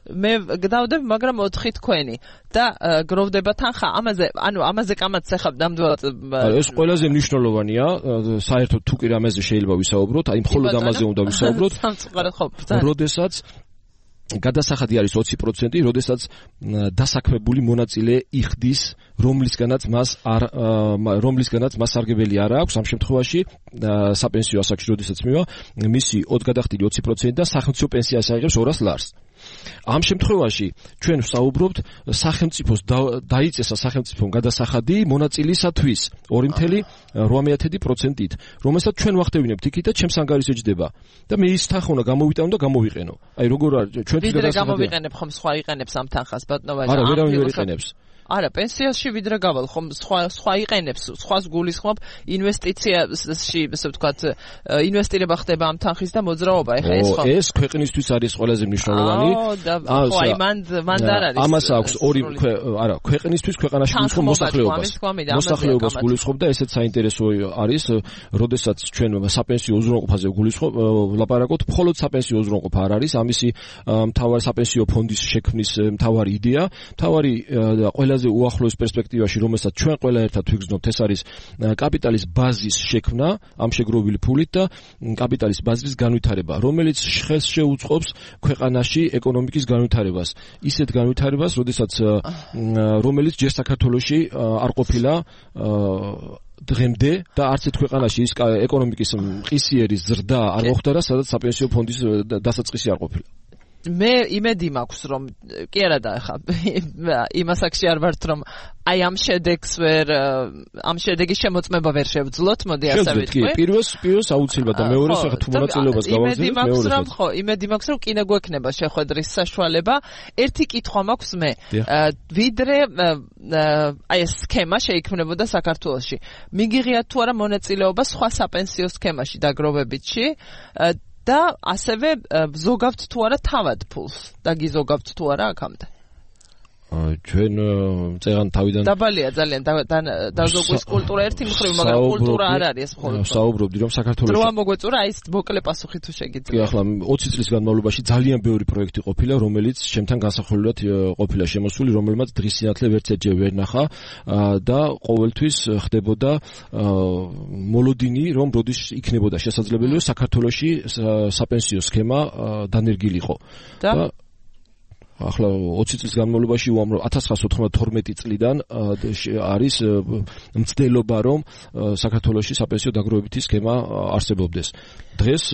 მე გდავდებ, მაგრამ ოთხი თქვენი და გროვდება თანხა. ამაზე, ანუ ამაზე კამათს ეხავ ნამდვილად. ეს ყველაზე მნიშვნელოვანია, საერთოდ თუ კი რამეზე შეიძლება ვისაუბროთ, აი მხოლოდ ამაზე უნდა ვისაუბროთ. როდესაც გადასახადი არის ოცი პროცენტი, როდესაც დასაქმებული მონაწილე იხდის, რომლისგანაც მას არ რომლისგანაც მას სარგებელი არ აქვს, ამ შემთხვევაში საპენსიო ასაკში როდესაც მივა, მისი ოთხგადახდილი ოცი პროცენტი და სახელმწიფო პენსიას აიღებს ორას ლარს. ამ შემთხვევაში ჩვენ ვსაუბრობთ სახელმწიფოს დაიწესა სახელმწიფომ გადასახადი მონაწილისათვის ორი წელი რვამეათედი პროცენტით, რომელსაც ჩვენ ვახდევინებთ იქით და ჩემს ანგარიშზე ჯდება. და მე ის თანხა უნდა გამოვიტანო და გამოვიყენო. აი როგორ არის ჩვენ ვიდრე გამოვიყენებ ხომ სხვა იყენებს ამ თანხას ბატონო ვაჟა. არა, ვერავინ ვერ იყენებს. არა, პენსიაში ვიდრე გავალ, ხომ სხვა სხვა იყენებს, სხვას გულისხმობ ინვესტიციაში, ასე ვთქვათ, ინვესტირება ხდება ამ თანხის და მოძრაობა, ეხლა ეს ხო? ეს ქვეყნისთვის არის ყველაზე მნიშვნელოვანი. აა, ხო, აი მან მან არ არის. ამას აქვს ორი, არა, ქვეყნისთვის ქვეყანაში გულისხმობ მოსახლეობას. მოსახლეობას გულისხმობ და ესეც საინტერესო არის, როდესაც ჩვენ საპენსიო უზრუნველყოფაზე გულისხმობ, ლაპარაკობთ, მხოლოდ საპენსიო უზრუნველყოფა არ არის, ამისი მთავარი საპენსიო ფონდის შექმნის მთავარი იდეა, მთავარი ყველაზე უახლოეს პერსპექტივაში, რომელსაც ჩვენ ყველა ერთად ვიგრძნობთ, ეს არის კაპიტალის ბაზის შექმნა ამ შეგროვილი ფულით და კაპიტალის ბაზის განვითარება, რომელიც ხელს შეუწყობს ქვეყანაში ეკონომიკის განვითარებას. ისეთ განვითარებას, როდესაც რომელიც ჯერ საქართველოში არ ყოფილა დღემდე და არც ერთ ქვეყანაში ის ეკონომიკის მყისიერი ზრდა არ მოხდა და სადაც საპენსიო ფონდის დასაწყისი არ ყოფილა. მე იმედი მაქვს რომ კი არა და ხა იმას აქში არ ვართ რომ აი ამ შედეგს ვერ ამ შედეგის შემოწმება ვერ შევძლოთ, მოდი ასე ვიტყვი. კი, პირველს პირველს აუცილებლად და მეორეს ახლა თუ მონაწილეობას გავაგზავნებთ, მეორეს რომ ხო, იმედი მაქვს რომ კიდე გვექნება შეხვედრის საშუალება. ერთი კითხვა მაქვს მე. ვიდრე აი ეს სქემა შეიქმნებოდა საქართველოში. მიგიღიათ თუ არა მონაწილეობა სხვა საპენსიო სქემაში დაგროვებითში? და ასევე ზოგავთ თუ არა თავად ფულს და გიზოგავთ თუ არა აქამდე. ჩვენ წეგან თავიდან დაბალია ძალიან დაზოგვის კულტურა ერთი მხრივ, მაგრამ კულტურა არ არის ეს მხოლოდ. საუბრობდი რომ საქართველოში დროა მოგვეწურა აი ეს მოკლე პასუხი თუ შეგიძლიათ. კი, ახლა ოცი წლის განმავლობაში ძალიან ბევრი პროექტი ყოფილა, რომელიც ჩემთან განსახილველად ყოფილა შემოსული, რომელმაც დღის სინათლე ვერც ერთჯერ ვერ ნახა და ყოველთვის ხდებოდა მოლოდინი, რომ როდის იქნებოდა შესაძლებელი საქართველოში საპენსიო სქემა დანერგილიყო. და ახლა ოცი წლის განმავლობაში უამრავ ათას ცხრაასი ოთხმოცდათორმეტი წლიდან არის მცდელობა რომ საქართველოში საპენსიო დაგროვებითი სქემა არსებობდეს. დღეს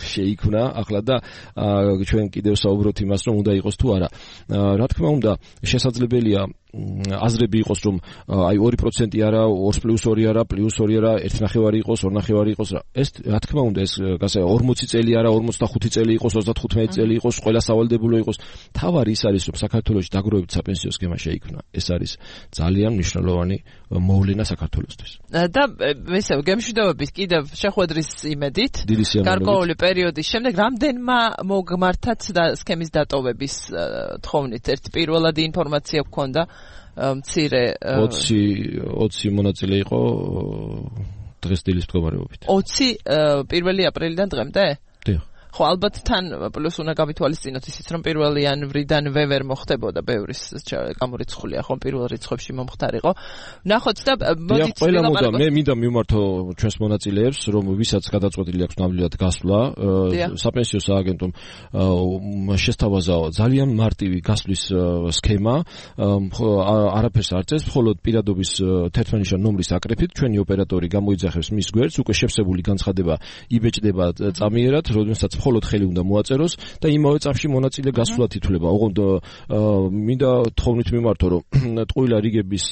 შეიქმნა ახლა და ჩვენ კიდევ საუბრობთ იმას რომ უნდა იყოს თუ არა. რა თქმა უნდა შესაძლებელია აზრები იყოს რომ აი ორი პროცენტი არა, ორი პლუს ორი არა, პლუს ორი არა, ერთი ნახევარი იყოს, ორი ნახევარი იყოს. ეს რა თქმა უნდა ეს გასა ორმოცი წელი არა, ორმოცდახუთი წელი იყოს, ოცდათხუთმეტი წელი იყოს, ყველა სავალდებულო იყოს. თავარი ის არის რომ საქართველოში დაგროვებით საპენსიო სქემა შეიქმნა. ეს არის ძალიან მნიშვნელოვანი მოვლენა საქართველოსთვის. და ესე გემშვიდობებით კიდევ შეხვედრის იმედით გარკვეული პერიოდის შემდეგ რამდენმა მოგმართათ და სქემის დატოვების თხოვნით ერთი პირველადი ინფორმაცია გქონდა მცირე ოცი ოცი მონაწილე იყო დღეს დილის მდგომარეობით. ოცი პირველი აპრილიდან დღემდე? დიახ. ხო, ალბათ თან პლუს უნდა გავითვალისწინოთ ისიც რომ პირველი იანვრიდანვე ვერ მოხდებოდა ბევრის გამორიცხულია, ხომ პირველ რიცხვებში მომხდარიყო. ნახოთ და მოდით ვილაპარაკოთ. მე მინდა მიმართო ჩვენს მონაწილეებს, რომ ვისაც გადაწყვეტილი აქვს ნამდვილად გასვლა საპენსიო სააგენტომ შესთავაზა ძალიან მარტივი გასვლის სქემა, არაფერს არ წერს, მხოლოდ პირადობის თერთმეტ ნომრის აკრეფით ჩვენი ოპერატორი გამოიძახებს მის გვერდს, უკვე შევსებული განცხადება იბეჭდება წამიერად, როდესაც მხოლოდ ხელი უნდა მოაწეროს და იმავე წამში მონაწილე გასვლად ითვლება. ოღონდ მინდა თხოვნით მიმართო, რომ ტყუილა რიგების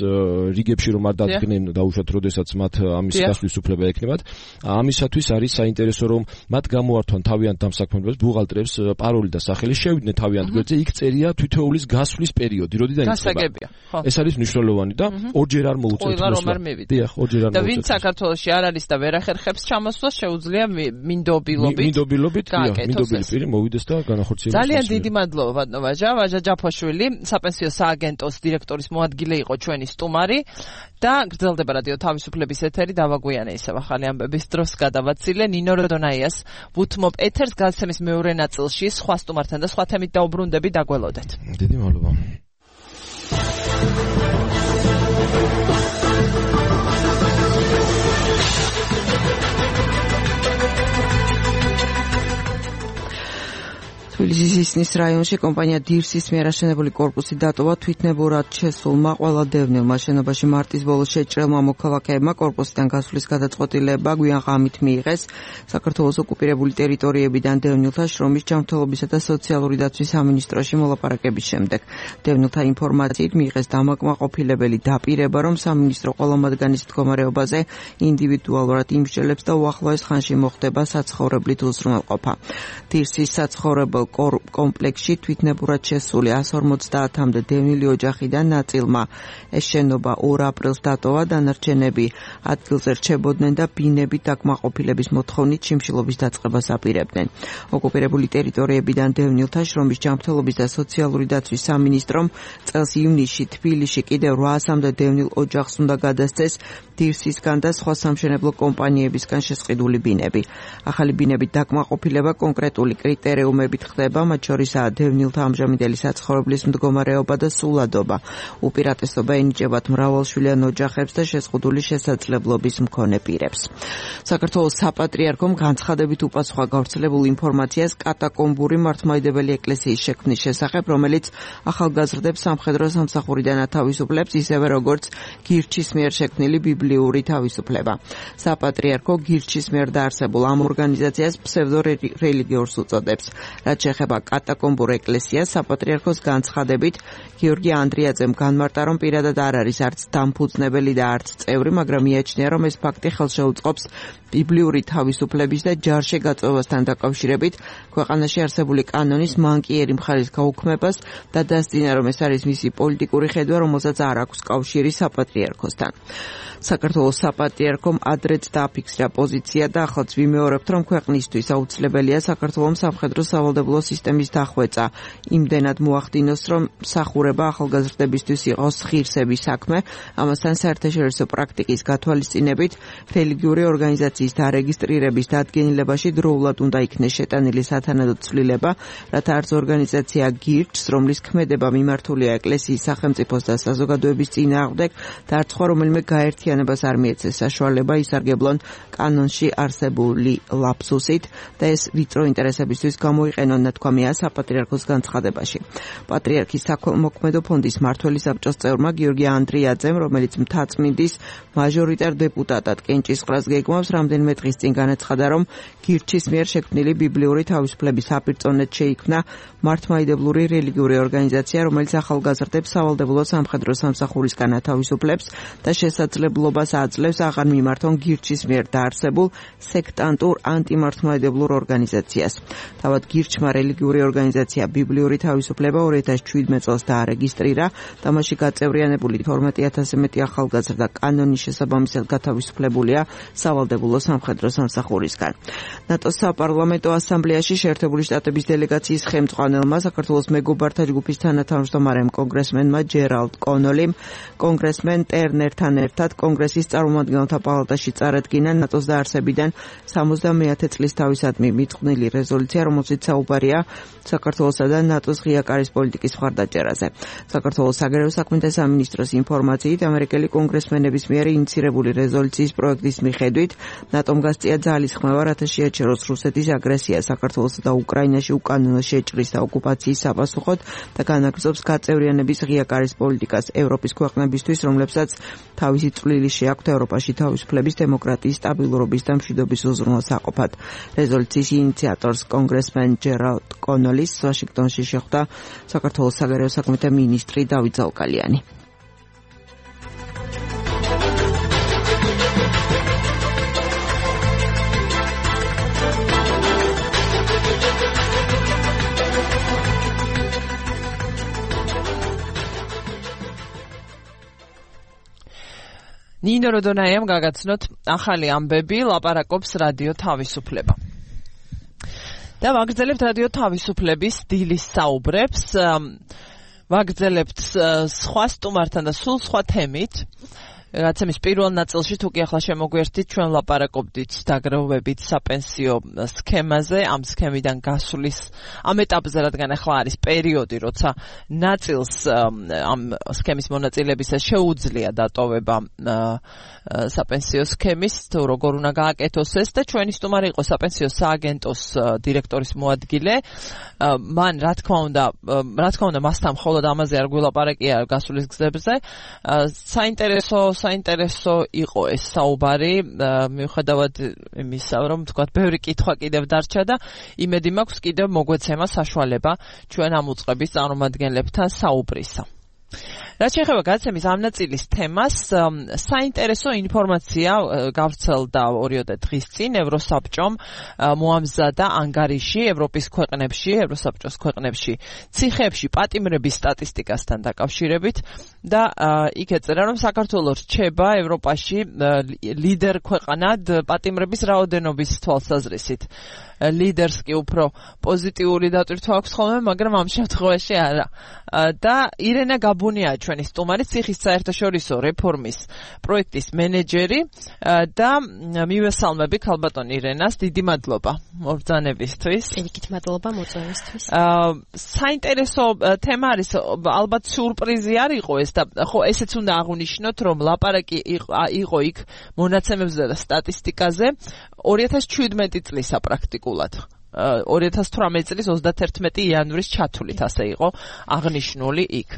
რიგებში რომ არ დადგნენ დაუშვათ, როდესაც მათ ამის გასვლის უფლება ექნებათ. ამისათვის არის საინტერესო, რომ მათ გამოართვან თავიანთ დამსაქმებელს, ბუღალტრებს პაროლი და სახელი, შევიდნენ თავიანთ გვერდზე, იქ წერია თითოეულის გასვლის პერიოდი, როდიდან იწყება. ეს არის მნიშვნელოვანი და ორჯერ არ მოუწევთ მოსვლა. დიახ, ორჯერ არ მოუწევთ. და ვინც საქართველოში არ არის და ვერ ახერხებს ჩამოსვლას, შეუძლია მინდობილობით. მინდობილობით მინდობილი პირი მოვიდეს და განახორციელოს. ძალიან დიდი მადლობა ბატონო ვაჟა, ვაჟა ჯაფაშვილი, საპენსიო სააგენტოს დირექტორის მოადგილე იყო ჩვენი სტუმარი და გრძელდება რადიო თავისუფლების ეთერი. დავაგვიანე ისევ ახალი ამბების დროს გადავაცილე ნინო როდონაიას ვუთმობ ეთერს გადაცემის მეორე ნაწილში სხვა სტუმართან და სხვა თემით დაუბრუნდები, დაგველოდეთ. დიდი მადლობა. თბილისის ისნის რაიონში კომპანია დირსის მიერ აშენებული კორპუსი დატოვა თვითნებურად შესულმა ყველა დევნილმა. შენობაში მარტის ბოლოს შეჭრილმა მოქალაქეებმა კორპუსიდან გასვლის გადაწყვეტილება გვიან ღამით მიიღეს. საქართველოს ოკუპირებული ტერიტორიებიდან დევნილთა შრომის ჯანმრთელობისა და სოციალური დაცვის სამინისტროში მოლაპარაკების შემდეგ დევნილთა ინფორმაციით მიიღეს დამაკმაყოფილებელი დაპირება, რომ სამინისტრო ყველა მათგანის მდგომარეობაზე ინდივიდუალურად იმსჯელებს და უახლოეს ხანში მოხდება საცხოვრებლით უზრუნველყოფა. დირსის საცხოვრებელ კომპლექსში თვითნებურად შესული εκατს ორმოცდაათამდე დევნილი ოჯახიდან ნაწილმა ეს შენობა ორ აპრილს დატოვა, დანარჩენები ადგილზე რჩებოდნენ და ბინებით დაკმაყოფილების მოთხოვნით შიმშილობის დაწყებას აპირებდნენ. ოკუპირებული ტერიტორიებიდან დევნილთა შრომის ჯანმრთელობის და სოციალური დაცვის სამინისტრომ წელს ივნისში თბილისში კიდევ რვაასამდე დევნილ ოჯახს უნდა გადასცეს დირსისგან და სხვა სამშენებლო კომპანიებისგან შესყიდული ბინები. ახალი ბინებით დაკმაყოფილება კონკრეტული კრიტერიუმებით ხდება, მათ შორისაა დევნილთა ამჟამინდელი საცხოვრებლის მდგომარეობა და სულადობა. უპირატესობა ენიჭებათ მრავალშვილიან ოჯახებს და შეზღუდული შესაძლებლობის მქონე პირებს. საქართველოს საპატრიარქომ განცხადებით უპასუხა გავრცელებულ ინფორმაციას კატაკომბური მართლმადიდებელი ეკლესიის შექმნის შესახებ, რომელიც ახალგაზრდებს სამხედრო სამსახურიდან ათავისუფლებს, ისევე როგორც გირჩის მიერ შექმნილი ბიბლიური თავისუფლება. საპატრიარქო გირჩის მიერ დაარსებულ ამ ორგანიზაციას ფსევდორელიგიურს უწოდებს. რაც შეეხება კატაკომბურ ეკლესიას, საპატრიარქოს განცხადებით გიორგი ანდრიაძემ განმარტა, რომ პირადად არ არის არც დამფუძნებელი და არც წევრი, მაგრამ მიაჩნია, რომ ეს ფაქტი ხელს შეუწყობს ბიბლიური თავისუფლების და ჯარში გაწვევასთან დაკავშირებით ქვეყანაში არსებული კანონის მანკიერი მხარის გაუქმებას და დასძინა, რომ ეს არის მისი პოლიტიკური ხედვა, რომელსაც არ აქვს კავშირი საპატრიარქოსთან. საქართველოს საპატრიარქომ ადრეც დააფიქსირა პოზიცია და ახლაც ვიმეორებთ, რომ ქვეყნისთვის აუცილებელია საქართველოს სამხედრო სავალდებულო სისტემის დახვეწა. იმდენად მოახდინოს, რომ მსახურება ახალგაზრდებისთვის იყოს ღირსების საქმე, ამასთან საერთაშორისო პრაქტიკის გათვალისწინებით რელიგიური ორგანიზაციის დარეგისტრირების დადგენილებაში დროულად უნდა იქნეს შეტანილი სათანადო ცვლილება, რათა არც ორგანიზაცია გირჩს, რომლის ქმედება მიმართულია ეკლესიის, სახელმწიფოს და საზოგადოების წინააღმდეგ და არც სხვა რომელიმე გაერთიანებას არ მიეცეს საშუალება ისარგებლონ კანონში არსებული ლაფსუსით და ეს ვიწრო ინტერესებისთვის გამოიყენონ, ნათქვამია საპატრიარქოს განცხადებაში. პატრიარქის საკმოქმედო ფონდის მმართველი საბჭოს წევრმა გიორგი ანდრიაძემ, რომელიც მთაწმინდის მაჟორიტარ დეპუტატად კენჭისყრას გეგმავს, რამდენიმე დღის წინ განაცხადა, რომ გირჩის მიერ შექმნილი ბიბლიური თავისუფლების საპირწონედ შეიქმნა მართლმადიდებლური რელიგიური ორგანიზაცია, რომელიც ახალგაზრდებს სავალდებულო სამხედრო სამსახურისგან ათავისუფლებს და შესაძლებლობას აძლევს აღარ მიმართონ გირჩის მიერ დაარსებულ სექტანტურ ანტიმართლმადიდებლურ ორგანიზაციას. თავად გირჩმა რელიგიური ორგანიზაცია ბიბლიური თავისუფლება ორი ათას შვიდმეტ წელს დაარეგისტრირა და მასში გაწევრიანებული თორმეტი ათასზე მეტი ახალგაზრდა კანონის შესაბამისად გათავისუფლებულია სავალდებულო სამხედრო სამსახურისგან. ნატოს საპარლამენტო ასამბლეაში შეერთებული შტატების დელეგაციის ხელმძღვანელმა საქართველოს მეგობართა ჯგუფის თანათავმჯდომარემ კონგრესმენმა ჯერალდ კონოლიმ კონგრესმენ ტერნერთან ერთად კონგრესის წარმომადგენელთა პალატაში წარადგინა ნატოს დაარსებიდან სამოცდამეათე წლის თავისადმი მიწყვნილი რეზოლუცია, რომელშიც საუბარია საქართველოსა და ნატოს ღია კარის პოლიტიკის მხარდაჭერაზე. საქართველოს საგარეო საქმეთა სამინისტროს ინფორმაციით, ამერიკელი კონგრესმენების მიერ ინიცირებული რეზოლუციის პროექტის მიხედვით ნატომ გასწია ძალისხმევა, რათა შეაჩეროს რუსეთის აგრესია საქართველოსა და უკრაინაში უკანონო შეჭრის და ოკუპაციის საპასუხოდ და განაგრძობს გაწევრიანების ღია კარის პოლიტიკას ევროპის ქვეყნებისთვის, რომლებსაც თავისი წვლილი შეაქვთ ევროპაში თავისუფლების, დემოკრატიის, სტაბილურობის და მშვიდობის უზრუნველსაყოფად. რეზოლუციის ინიციატორს კონგრესმენ ჯერალდ კონოლის ვაშინგტონში შეხვდა საქართველოს საგარეო საქმეთა მინისტრი დავით ზალკალიანი. ნინო როდონაიამ გაგაცნოთ ახალი ამბები, ლაპარაკობს რადიო თავისუფლება. და ვაგრძელებთ რადიო თავისუფლების დილის საუბრებს, ვაგრძელებთ სხვა სტუმართან და სულ სხვა თემით. რაცემის პირველ ნაწილში თუ კი ახლა შემოგვერთით, ჩვენ ლაპარაკობდით დაგროვებით საპენსიო სქემაზე, ამ სქემიდან გასulis ამ ეტაპზე, რადგან ახლა არის პერიოდი, როცა ნაწილს ამ სქემის მონაწილებისას შეუძლია დატოვება საპენსიო სქემის, თუ როგორ უნდა გააკეთოს ეს და ჩვენი სტუმარი იყო საპენსიო სააგენტოს დირექტორის მოადგილე. მან რა თქმა უნდა, რა თქმა უნდა, მასთან მხოლოდ ამაზე არ გვილაპარაკია გასulis გზებზე. საინტერესო საინტერესო იყო ეს საუბარი, მიუხედავად იმისა, რომ თქვათ, ბევრი კითხვა კიდევ დარჩა და იმედი მაქვს კიდევ მოგვეცემა საშუალება ჩვენ ამ უწყების წარმომადგენლებთან საუბრისა. რაც შეეხება გადაცემის ამ ნაწილის თემას, საინტერესო ინფორმაცია გავრცელდა ორიოდე დღის წინ ევროსაბჭომ მოამზადა ანგარიში ევროპის ქვეყნებში, ევროსაბჭოს ქვეყნებში ციხეებში პატიმრების სტატისტიკასთან დაკავშირებით და იქ ეწერა, რომ საქართველო რჩება ევროპაში ლიდერ ქვეყანად პატიმრების რაოდენობის თვალსაზრისით. ლიდერს კი უფრო პოზიტიური დატვირთვა აქვს ხოლმე, მაგრამ ამ შემთხვევაში არა. და ირენა გაბუნია ჩვენი სტუმარი, ციხის საერთაშორისო რეფორმის პროექტის მენეჯერი და მივესალმები ქალბატონ ირენას, დიდი მადლობა მობრძანებისთვის. ერთით მადლობა მოწვევისთვის. საინტერესო თემა არის, ალბათ სიურპრიზი არ იყო ეს და ხო ესეც უნდა აღვნიშნოთ, რომ ლაპარაკი იყო იქ მონაცემებზე და სტატისტიკაზე ორი ათას ჩვიდმეტი წლისა პრაქტიკულად. ორი ათას თვრამეტი წლის ოცდაათერთმეტი იანვრის ჩათვლით ასე იყო აღნიშნული იქ.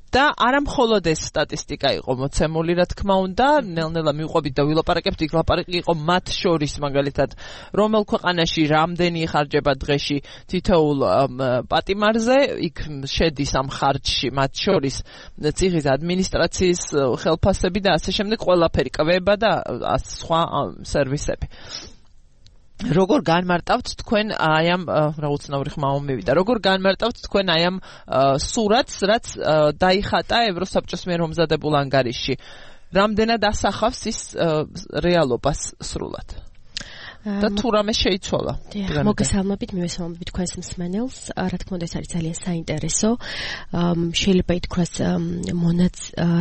და არა მხოლოდ ეს სტატისტიკა იყო მოცემული, რა თქმა უნდა, ნელ-ნელა მივყვებით და ვილაპარაკებთ, იქ ლაპარაკი იყო მათ შორის, მაგალითად, რომელ ქვეყანაში რამდენი იხარჯება დღეში თითოეულ პატიმარზე, იქ შედის ამ ხარჯში მათ შორის ციხის ადმინისტრაციის ხელფასები და ასე შემდეგ, ყველაფერი, კვება და სხვა სერვისები. როგორ განმარტავთ თქვენ აი ამ რა უცნაური ხმა მომივიდა, როგორ განმარტავთ თქვენ აი ამ სურათს, რაც დაიხატა ევროსაბჭოს მიერ მომზადებულ ანგარიში, რამდენად ასახავს ის რეალობას სრულად და თუ რამე შეიცვალა? მოგესალმებით, მივესალმებით თქვენს მსმენელს. რა თქმა უნდა, ეს არის ძალიან საინტერესო. შეიძლება ითქვას მონაც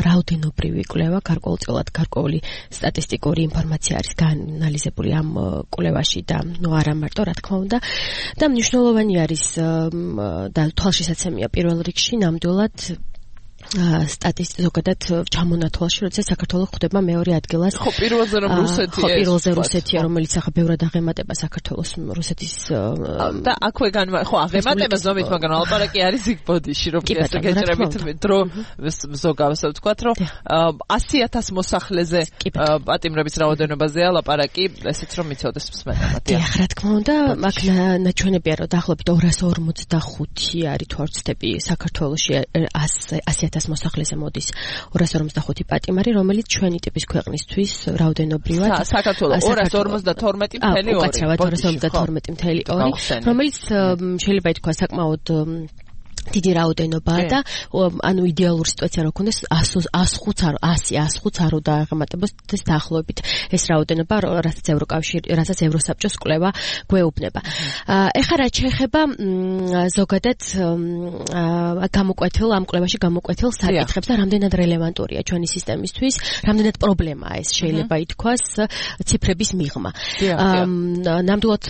რაოდენობრივი კვლევა, გარკვეულწილად გარკვეული სტატისტიკური ინფორმაცია არის გაანალიზებული ამ კვლევაში და ნუ არა მარტო, რა თქმა უნდა. და მნიშვნელოვანი არის და თვალშისაცემია პირველ რიგში ნამდვილად სტატისტიკა ზოგადად ჩამონათვალში, როდესაც საქართველოს ხვდება მეორე ადგილას. ხო, პირველზე რომ რუსეთი. ხო, პირველზე რუსეთია, რომელიც ახლა ბევრად აღემატება საქართველოს რუსეთის და აქვე განმა ხო, აღემატება ზომით, მაგრამ ლაპარაკი არის იქ ბოდიში, რომ ესე გეჭრებით დრო ზოგავს ვთქვათ, რომ ასი ათას მოსახლეზე პატიმრების რაოდენობაზეა ლაპარაკი, ესეც რომ მიცოდეს მსმენელმა. დიახ, რა თქმა უნდა, მაგ ნაჩვენებია, რომ დაახლოებით ორას ორმოცდახუთი არის თუ არ ვცდები საქართველოში ასი ათას მოსახლეზე მოდის ორას ორმოცდახუთი პატიმარი, რომელიც ჩვენი ტიპის ქვეყნისთვის რაოდენობრივად საქართველოს ორას ორმოცდათორმეტი ფული ორი. უკაცრავად ორას ორმოცდათორმეტი ფული ორი, რომელიც შეიძლება ითქვას საკმაოდ დიდი რაოდენობაა და ანუ იდეალური სიტუაცია რო ქონდეს ასი ხუთს არ უნდა აღემატებოს დაახლოებით ეს რაოდენობა, რასაც ევროკავშირი, რასაც ევროსაბჭოს კვლევა გვეუბნება. ეხლა რაც შეეხება ზოგადად გამოკვეთილ ამ კვლევაში გამოკვეთილ საკითხებს და რამდენად რელევანტურია ჩვენი სისტემისთვის, რამდენად პრობლემაა ეს შეიძლება ითქვას ციფრების მიღმა. ნამდვილად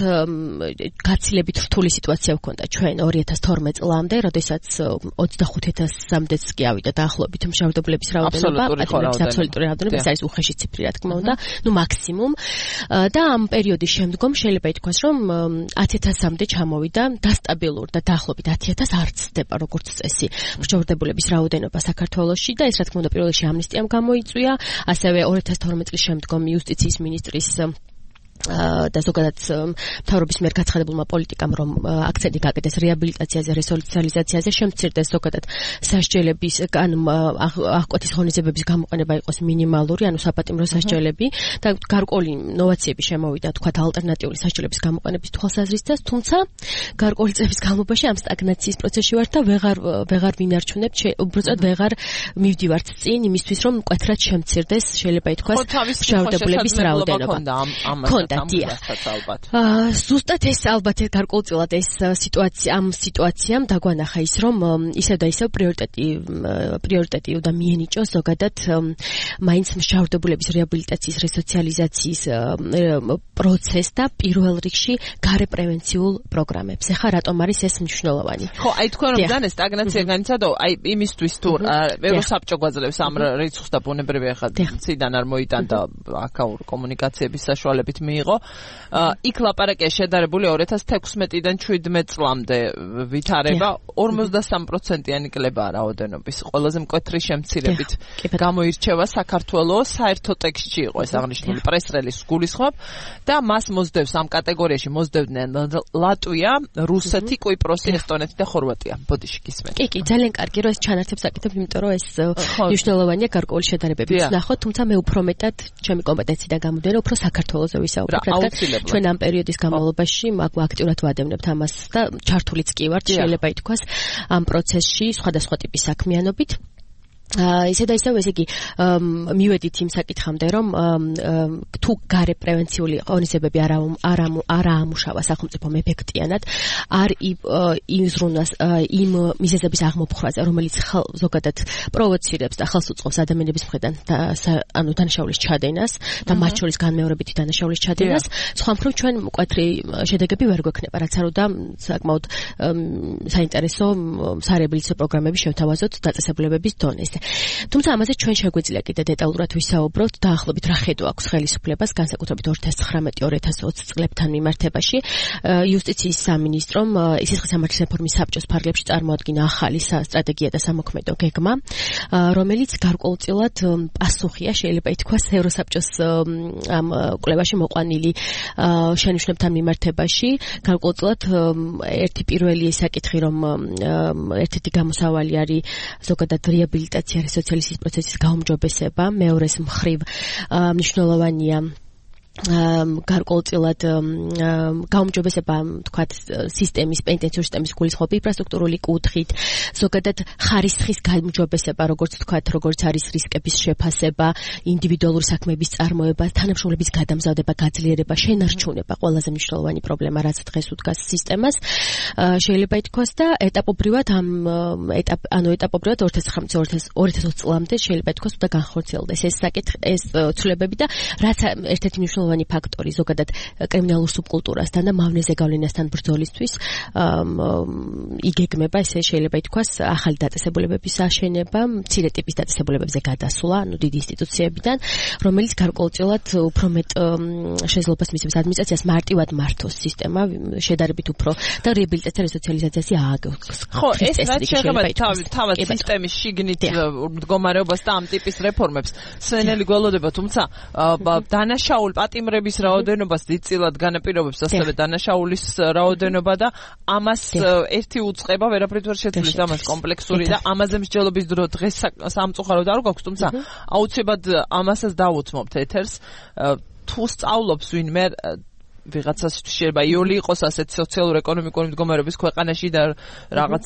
გაცილებით რთული სიტუაცია გვქონდა ჩვენ ორი ათას თორმეტ წლამდე, როდესაც ოცდახუთ ათასამდეც კი ავიდა დაახლოებით მშავდებლების რაოდენობა, პატიმრების აბსოლუტური რაოდენობა, ეს არის უხეში ციფრი, რა თქმა უნდა, ნუ მაქსიმუმ. და ამ პერიოდის შემდგომ შეიძლება ითქვას, რომ ათი ათასამდე ჩამოვიდა დასტაბილურ და დაახლოებით ათი ათას არ ცდება როგორც წესი მშავდებულების რაოდენობა საქართველოში და ეს რა თქმა უნდა პირველ რიგში ამნისტიამ გამოიწვია, ასევე ორი ათას თორმეტ წლის შემდგომ იუსტიციის მინისტრის და ზოგადად მთავრობის მიერ გაცხადებულმა პოლიტიკამ, რომ აქცენტი გააკეთეს რეაბილიტაციაზე, რესოციალიზაციაზე, შემცირდეს ზოგადად სასჯელების ან აღკვეთის ღონისძიებების გამოყენება იყოს მინიმალური, ანუ საპატიმრო სასჯელები და გარკვეული ნოვაციები შემოვიდა, თქვათ, ალტერნატიული სასჯელების გამოყენების თვალსაზრისით, თუმცა გარკვეული წლების განმავლობაში ამ სტაგნაციის პროცესში ვართ და ვეღარ ვეღარ ვინარჩუნებთ, უბრალოდ ვეღარ მივდივართ წინ იმისთვის, რომ მკვეთრად შემცირდეს, შეიძლება ითქვას, მშავდებულების რაოდენობა. აა ზუსტად ეს ალბათ გარკვეულწილად ეს სიტუაცია ამ სიტუაციამ დაგვანახა ის, რომ ისევ და ისევ პრიორიტეტი პრიორიტეტი უნდა მიენიჭოს ზოგადად მაინც მშავდებულების რეაბილიტაციის, რესოციალიზაციის პროცესს და პირველ რიგში გარე პრევენციულ პროგრამებს. ეხლა რატომ არის ეს მნიშვნელოვანი? ხო, აი თქვენ რომ ძალიან სტაგნაცია განიცადო, აი იმისთვის თუ ევროსაბჭო გვაძლევს ამ რიცხვს და ბუნებრივია ხა ციდან არ მოიტანდა აკაურ კომუნიკაციების საშუალებით მიიღო იყო. იქ ლაპარაკია შედარებული ორი ათას თექვსმეტიდან შვიდმეტ წლამდე ვითარება ორმოცდასამი პროცენტიანი კლებაა რაოდენობის. ყველაზე მკვეთრი შემცირებით გამოირჩევა საქართველოს საერთო ტექსტში იყო ეს აღნიშნული პრეს-რელიზს გულისხმობ და მას მოსდევს ამ კატეგორიაში მოსდევდნენ ლატვია, რუსეთი, კვიპროსი, ესტონეთი და ხორვატია. ბოდიში გისმენთ. კი, კი, ძალიან კარგი რომ ეს ჩანართებს აკეთებ, იმიტომ რომ ეს მნიშვნელოვანია გარკვეული შედარებებით ნახოთ, თუმცა მე უფრო მეტად ჩემი კომპეტენციიდან გამომდინარე უფრო საქართველოზე ვისაუბრებ, რადგან ჩვენ ამ პერიოდის განმავლობაში აქტიურად ვადევნებთ ამას და ჩართულიც კი ვართ, შეიძლება ითქვას ამ პროცესში სხვადასხვა ტიპის საქმიანობით. ისე და ისე ესე იგი მივედით იმ საკითხამდე რომ თუ გარე პრევენციული ღონისძიებები არა არა არა ამუშავა სახელმწიფომ ეფექტიანად არ იზრუნოს იმ მიზეზების აღმოფხვრაზე რომელიც ზოგადად პროვოცირებს და ხელს უწყობს ადამიანების მხრიდან ანუ დანაშაულის ჩადენას და მათ შორის განმეორებითი დანაშაულის ჩადენას სხვა მხრივ ჩვენ მკვეთრი შედეგები ვერ გვექნება რაც არ უნდა საკმაოდ საინტერესო სარეაბილიტაციო პროგრამები შევთავაზოთ დაწესებულებების დონეზე. თუმცა ამაზე ჩვენ შეგვიძლია კიდე დეტალურად ვისაუბროთ დაახლოებით რა ხედვა აქვს ხელისუფლებას განსაკუთრებით ორი ათას ცხრამეტი ორი ათას ოცი წლებთან მიმართებაში იუსტიციის სამინისტრომ სისხლის სამართლის რეფორმის საბჭოს ფარგლებში წარმოადგინა ახალი სტრატეგია და სამოქმედო გეგმა რომელიც გარკვეულწილად პასუხია შეიძლება ითქვას ევროსაბჭოს ამ კვლევაში მოყვანილი შენიშვნებთან მიმართებაში გარკვეულწილად ერთი პირველი საკითხი რომ ერთ-ერთი გამოსავალი არის ზოგადად რეაბილიტაცია სოციალიზმის პროცესის გაუმჯობესება, მეორეს მხრივ მნიშვნელოვანია გარკვეულწილად გაუმჯობესება თქვათ სისტემის პენტენციური სისტემის გულისხმობ ინფრასტრუქტურული კუთხით ზოგადად ხარისხის გაუმჯობესება როგორც თქვათ როგორც არის რისკების შეფასება ინდივიდუალური საქმეების წარმოება თანამშრომლების გადამზადება გაძლიერება შენარჩუნება ყველაზე მნიშვნელოვანი პრობლემა რაც დღეს უდგას სისტემას შეიძლება ითქვას და ეტაპობრივად ამ ეტაპ ანუ ეტაპობრივად ორი ათას ცხრამეტი ორი ათას ოცი წლამდე შეიძლება ითქვას უნდა განხორციელდეს ეს საკითხი ეს ცვლილებები და რაც ერთ-ერთი მნიშვნელოვანი ფაქტორი ზოგადად კრიმინალურ სუბკულტურასთან და მავნეზე გავლენასთან ბრძოლისთვის იგეგმება ესე შეიძლება ითქვას ახალი დაწესებულებების აშენება, მცირე ტიპის დაწესებულებებზე გადასვლა, ანუ დიდი ინსტიტუციებიდან, რომელიც გარკვეულწილად უფრო მეტ შესაძლებლობას მისცემს ადმინისტრაციას მარტივად მართოს სისტემა, შედარებით უფრო და რეაბილიტაცია და სოციალიზაციაში ააგოს. ხო, ეს რაც შეეხება თავად სისტემის შიგნით მდგომარეობას და ამ ტიპის რეფორმებს, სვენელი გველოდება, თუმცა დანაშაულ პატიმრების რაოდენობას დიდწილად განაპირობებს ასევე დანაშაულის რაოდენობა და ამას ერთი უწყება ვერაფრით ვერ შეცვლის ამას კომპლექსური და ამაზე მსჯელობის დრო დღეს სამწუხაროდ არ გვაქვს თუმცა აუცილებლად ამასაც დავუთმობთ ეთერს თუ სწავლობს ვინმე ვიღაცას შეიძლება იოლი იყოს ასეთ სოციალურ-ეკონომიკური მდგომარეობის ქვეყანაში და რაღაც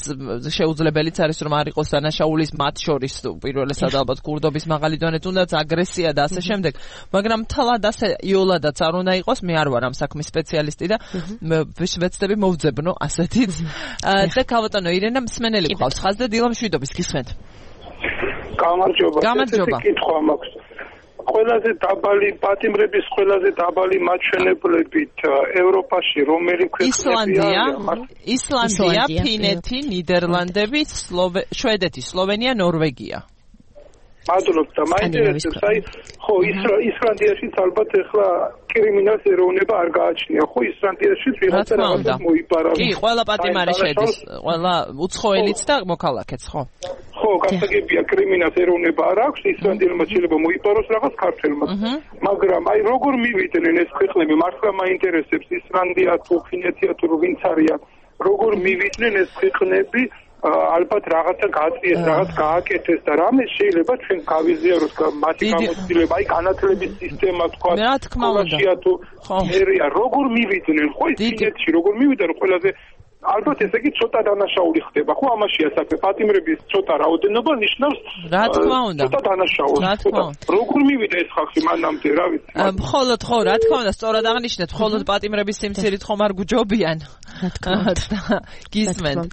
შეუძლებელიც არის რომ არ იყოს დანაშაულის მათ შორის პირველესად ალბათ კურდობის მაღალი დონე თუნდაც აგრესია და ასე შემდეგ მაგრამ თალად ასე იოლადაც არ უნდა იყოს მე არ ვარ ამ საქმის სპეციალისტი და ვეცდები მოვძებნო ასეთით და ქავატანო ირენა მსმენელი გყავს ხაზ და დილა მშვიდობის გისმენთ გამარჯობა გამარჯობა კითხვა მაქვს ყველაზე დაბალი პატიმრების ყველაზე დაბალი მაჩვენებლებით ევროპაში რომელი ქვეყნებია? ისლანდია, ფინეთი, ნიდერლანდები, შვედეთი, სლოვენია, ნორვეგია. მადლობთ და მაინტერესებს აი ხო ისლანდიაშიც ალბათ ახლა კრიმინალს ეროვნება არ გააჩნია ხო ისლანდიაში ვიღაცა რაღაცა მოიპარა კი ყველა პატიმარი შედის ყველა უცხოელიც და მოქალაქეც ხო ხო გასაგებია კრიმინალს ეროვნება არ აქვს ისლანდიელმა შეიძლება მოიპაროს რაღაც ქართველმა მაგრამ აი როგორ მივიდნენ ეს ქვეყნები მართლა მაინტერესებს ისლანდია თუ ფინეთია თუ ვინც არიან როგორ მივიდნენ ეს ქვეყნები ალბათ რაღაცა გააწიეს, რაღაც გააკეთეს და რამე შეიძლება ჩვენ გავიზიაროს მათი გამოცდილება, აი განათლების სისტემა თქვა, სკოლაშია თუ ერია, როგორ მივიდნენ, ხო ის ფინეთში როგორ მივიდნენ ყველაზე ალბათ ესე იგი ცოტა დანაშაული ხდება, ხო ამაშია საქმე, პატიმრების ცოტა რაოდენობა ნიშნავს რა თქმა უნდა, ცოტა დანაშაულს. როგორ მივიდა ეს ხალხი მანამდე, რა ვიცი. მხოლოდ ხო, რა თქმა უნდა, სწორად აღნიშნეთ, მხოლოდ პატიმრების სიმცირით ხომ არ გუჯობიან. რა თქმა უნდა. გისმენთ.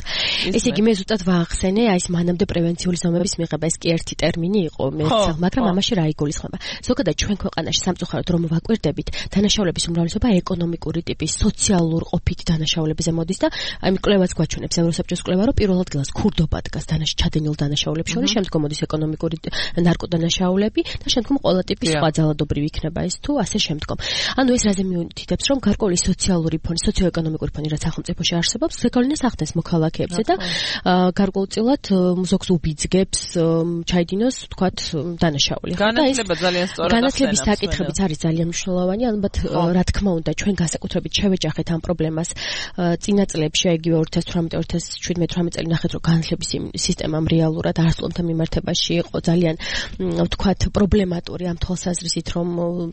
ესე იგი მე ზუსტად ვაახსენე, აი ეს მანამდე პრევენციული ზომების მიღება, ეს კი ერთი ტერმინი იყო, მე მაგრამ ამაში რა იგულისხმება? ზოგადად ჩვენ ქვეყანაში სამწუხაროდ რომ ვაკვირდებით, დანაშაულების უმრავლესობა ეკონომიკური ტიპის, სოციალურ ყოფით დანაშაულებებზე მოდის და აი კვლევაც გვაჩვენებს ევროსაბჭოს კვლევა, რომ პირველ ადგილას ქურდობა დგას დანაშ ჩადენილ დანაშაულებს შორის, შემდგომ მოდის ეკონომიკური ნარკოდანაშაულები და შემდგომ ყველა ტიპის სხვა ძალადობრივი იქნება ეს თუ ასე შემდგომ. ანუ ეს რაზე მიუთითებს, რომ გარკვეული სოციალური ფონი, სოციო-ეკონომიკური ფონი რაც სახელმწიფოში არსებობს, ზეგავლენას ახდენს მოქალაქეებზე და გარკვეულწილად ზოგს უბიძგებს ჩაიდინოს, თქვათ, დანაშაული. განათლება ძალიან სწორად ახსენებს. განათლების საკითხებიც არის ძალიან მნიშვნელოვანი, ალბათ რა თქმა უნდა, ჩვენ განსაკუთრებით შევეჯახეთ ამ პრობლემას წინა წლებში, იგივე ორი ათას თვრამეტ ორი ათას შვიდმეტ წელი ნახეთ, რომ განათლების სისტემამ რეალურად არასწორთა მიმართებაში იყო ძალიან, თქვათ, პრობლემატური ამ თვალსაზრისით, რომ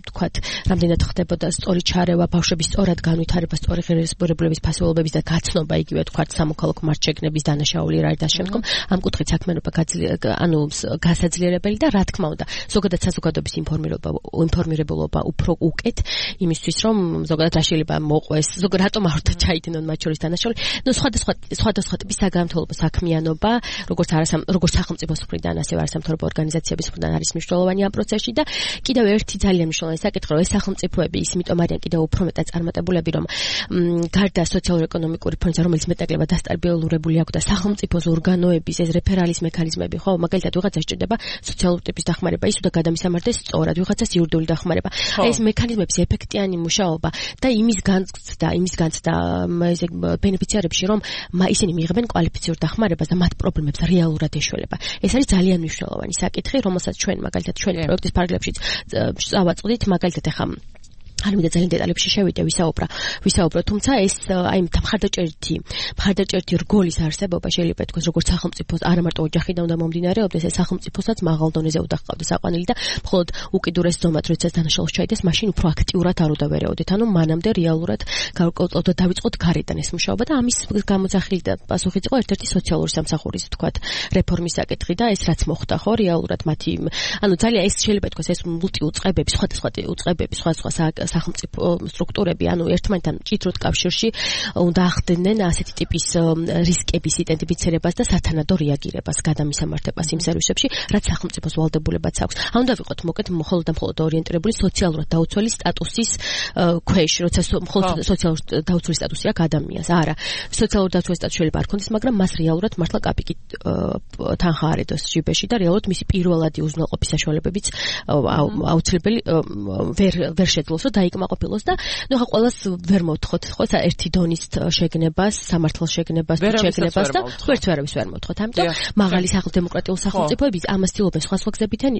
თქვათ, რამდენად ხდებოდა სწორი ჩარევა, ბავშვების სწორად განვითარება, სწორი ღირსებურებების ფასეულობების და გაცნობა, იგივე თქვათ, სამოქალაქო მარჩეგნების დანაშაული რა და შემდგომ ამ კუთხით საქმიანობა ანუ გასაძლიერებელი და რა თქმა უნდა, ზოგადად საზოგადოების ინფორმირება ინფორმირებულობა უფრო უკეთ იმისთვის, რომ ზოგადად რა შეიძლება მოყვეს, ზოგადად რატომ არ უნდა ჩაიდინონ მათ შორის დანაშაული. ნუ სხვადასხვა სხვადასხვა ტიპის საგამართლობო საქმიანობა, როგორც არასამ როგორც სახელმწიფოს მხრიდან, ასევე არასამთავრობო ორგანიზაციების მხრიდან არის მნიშვნელოვანი ამ პროცესში და კიდევ ერთი ძალიან მნიშვნელოვანი საკითხი, რომ ეს სახელმწიფოები ის იმიტომ არიან კიდევ უფრო მეტად წარმატებულები, რომ გარდა სოციალურ-ეკონომიკური ფონისა, რომელიც მეტნაკლებად დასტაბილურებული აქვს და სახელმწიფოს ორგანოების ეს რეფერალის მექანიზმები, ხო, მაგალითად ვიღაცა სჭირდება სოციალურ ტიპის დახმარება, ის უნდა გადამისამართეს სწორად, ვიღაცას იურიდიული დახმარება. ეს მექანიზმების ეფექტიანი მუშაობა და იმის განცდა, იმის განცდა ესე ბენეფიციარებში, რომ ისინი მიიღებენ კვალიფიციური დახმარებას და მათ პრობლემებს რეალურად ეშველება. ეს არის ძალიან მნიშვნელოვანი საკითხი, რომელსაც ჩვენ მაგალითად ჩვენი პროექტის ფარგლებშიც წავაწყდით, მაგალითად ახლა არ მინდა ძალიან დეტალებში შევიდე, ვისაუბრა, ვისაუბრო, თუმცა ეს აი მხარდაჭერითი, მხარდაჭერითი რგოლის არსებობა შეიძლება ითქვას, როგორც სახელმწიფოს, არა მარტო ოჯახიდან უნდა მომდინარეობდეს, ეს სახელმწიფოსაც მაღალ დონეზე უნდა ჰყავდეს აყვანილი და მხოლოდ უკიდურეს ზომად, როდესაც დანაშაულს ჩაიდეს, მაშინ უფრო აქტიურად არ უნდა ვერეოდეთ. ანუ მანამდე რეალურად გავკეთოთ და დავიწყოთ გარედან ეს მუშაობა და ამის გამოძახილი და პასუხიც იყო ერთ-ერთი სოციალური სამსახურის, თქვათ, რეფორმის საკითხი და ეს რაც მოხდა, ხო, რეალურად მათი, ანუ ძალიან ეს შეიძლება ითქვას, ეს მულტიუწყებები, სხვადასხვა უწყებები, სხვადასხვა სახელმწიფო სტრუქტურები, ანუ ერთმანეთთან მჭიდროდ კავშირში უნდა ახდენენ ასეთი ტიპის რისკების იდენტიფიცირებას და სათანადო რეაგირებას, გადამისამართებას იმ სერვისებში, რაც სახელმწიფოს ვალდებულებაც აქვს. ან უნდა ვიყოთ მოკეთ მხოლოდ და მხოლოდ ორიენტირებული სოციალურად დაუცველი სტატუსის ქვეშ, როცა მხოლოდ სოციალურ დაუცველი სტატუსი აქვს ადამიანს. არა, სოციალურ დაუცველი სტატუსი შეიძლება არ ქონდეს, მაგრამ მას რეალურად მართლა კაპიკით თანხა არ ედოს ჯიბეში და რეალურად მისი პირველადი უზრუნველყოფის საშუალებებიც აუცილებელი ვერ ვერ შეძლოს, რომ დაიკმაყოფილოს და ნუ ხა ყველას ვერ მოვთხოვთ, ხო, ერთი დონის შეგნებას, სამართალ შეგნებას, შეგნებას და ვერც ვერავის ვერ მოვთხოვთ. ამიტომ მაღალი სახელმწიფო სახელმწიფოების ამას ცდილობენ სხვა სხვა გზებიდან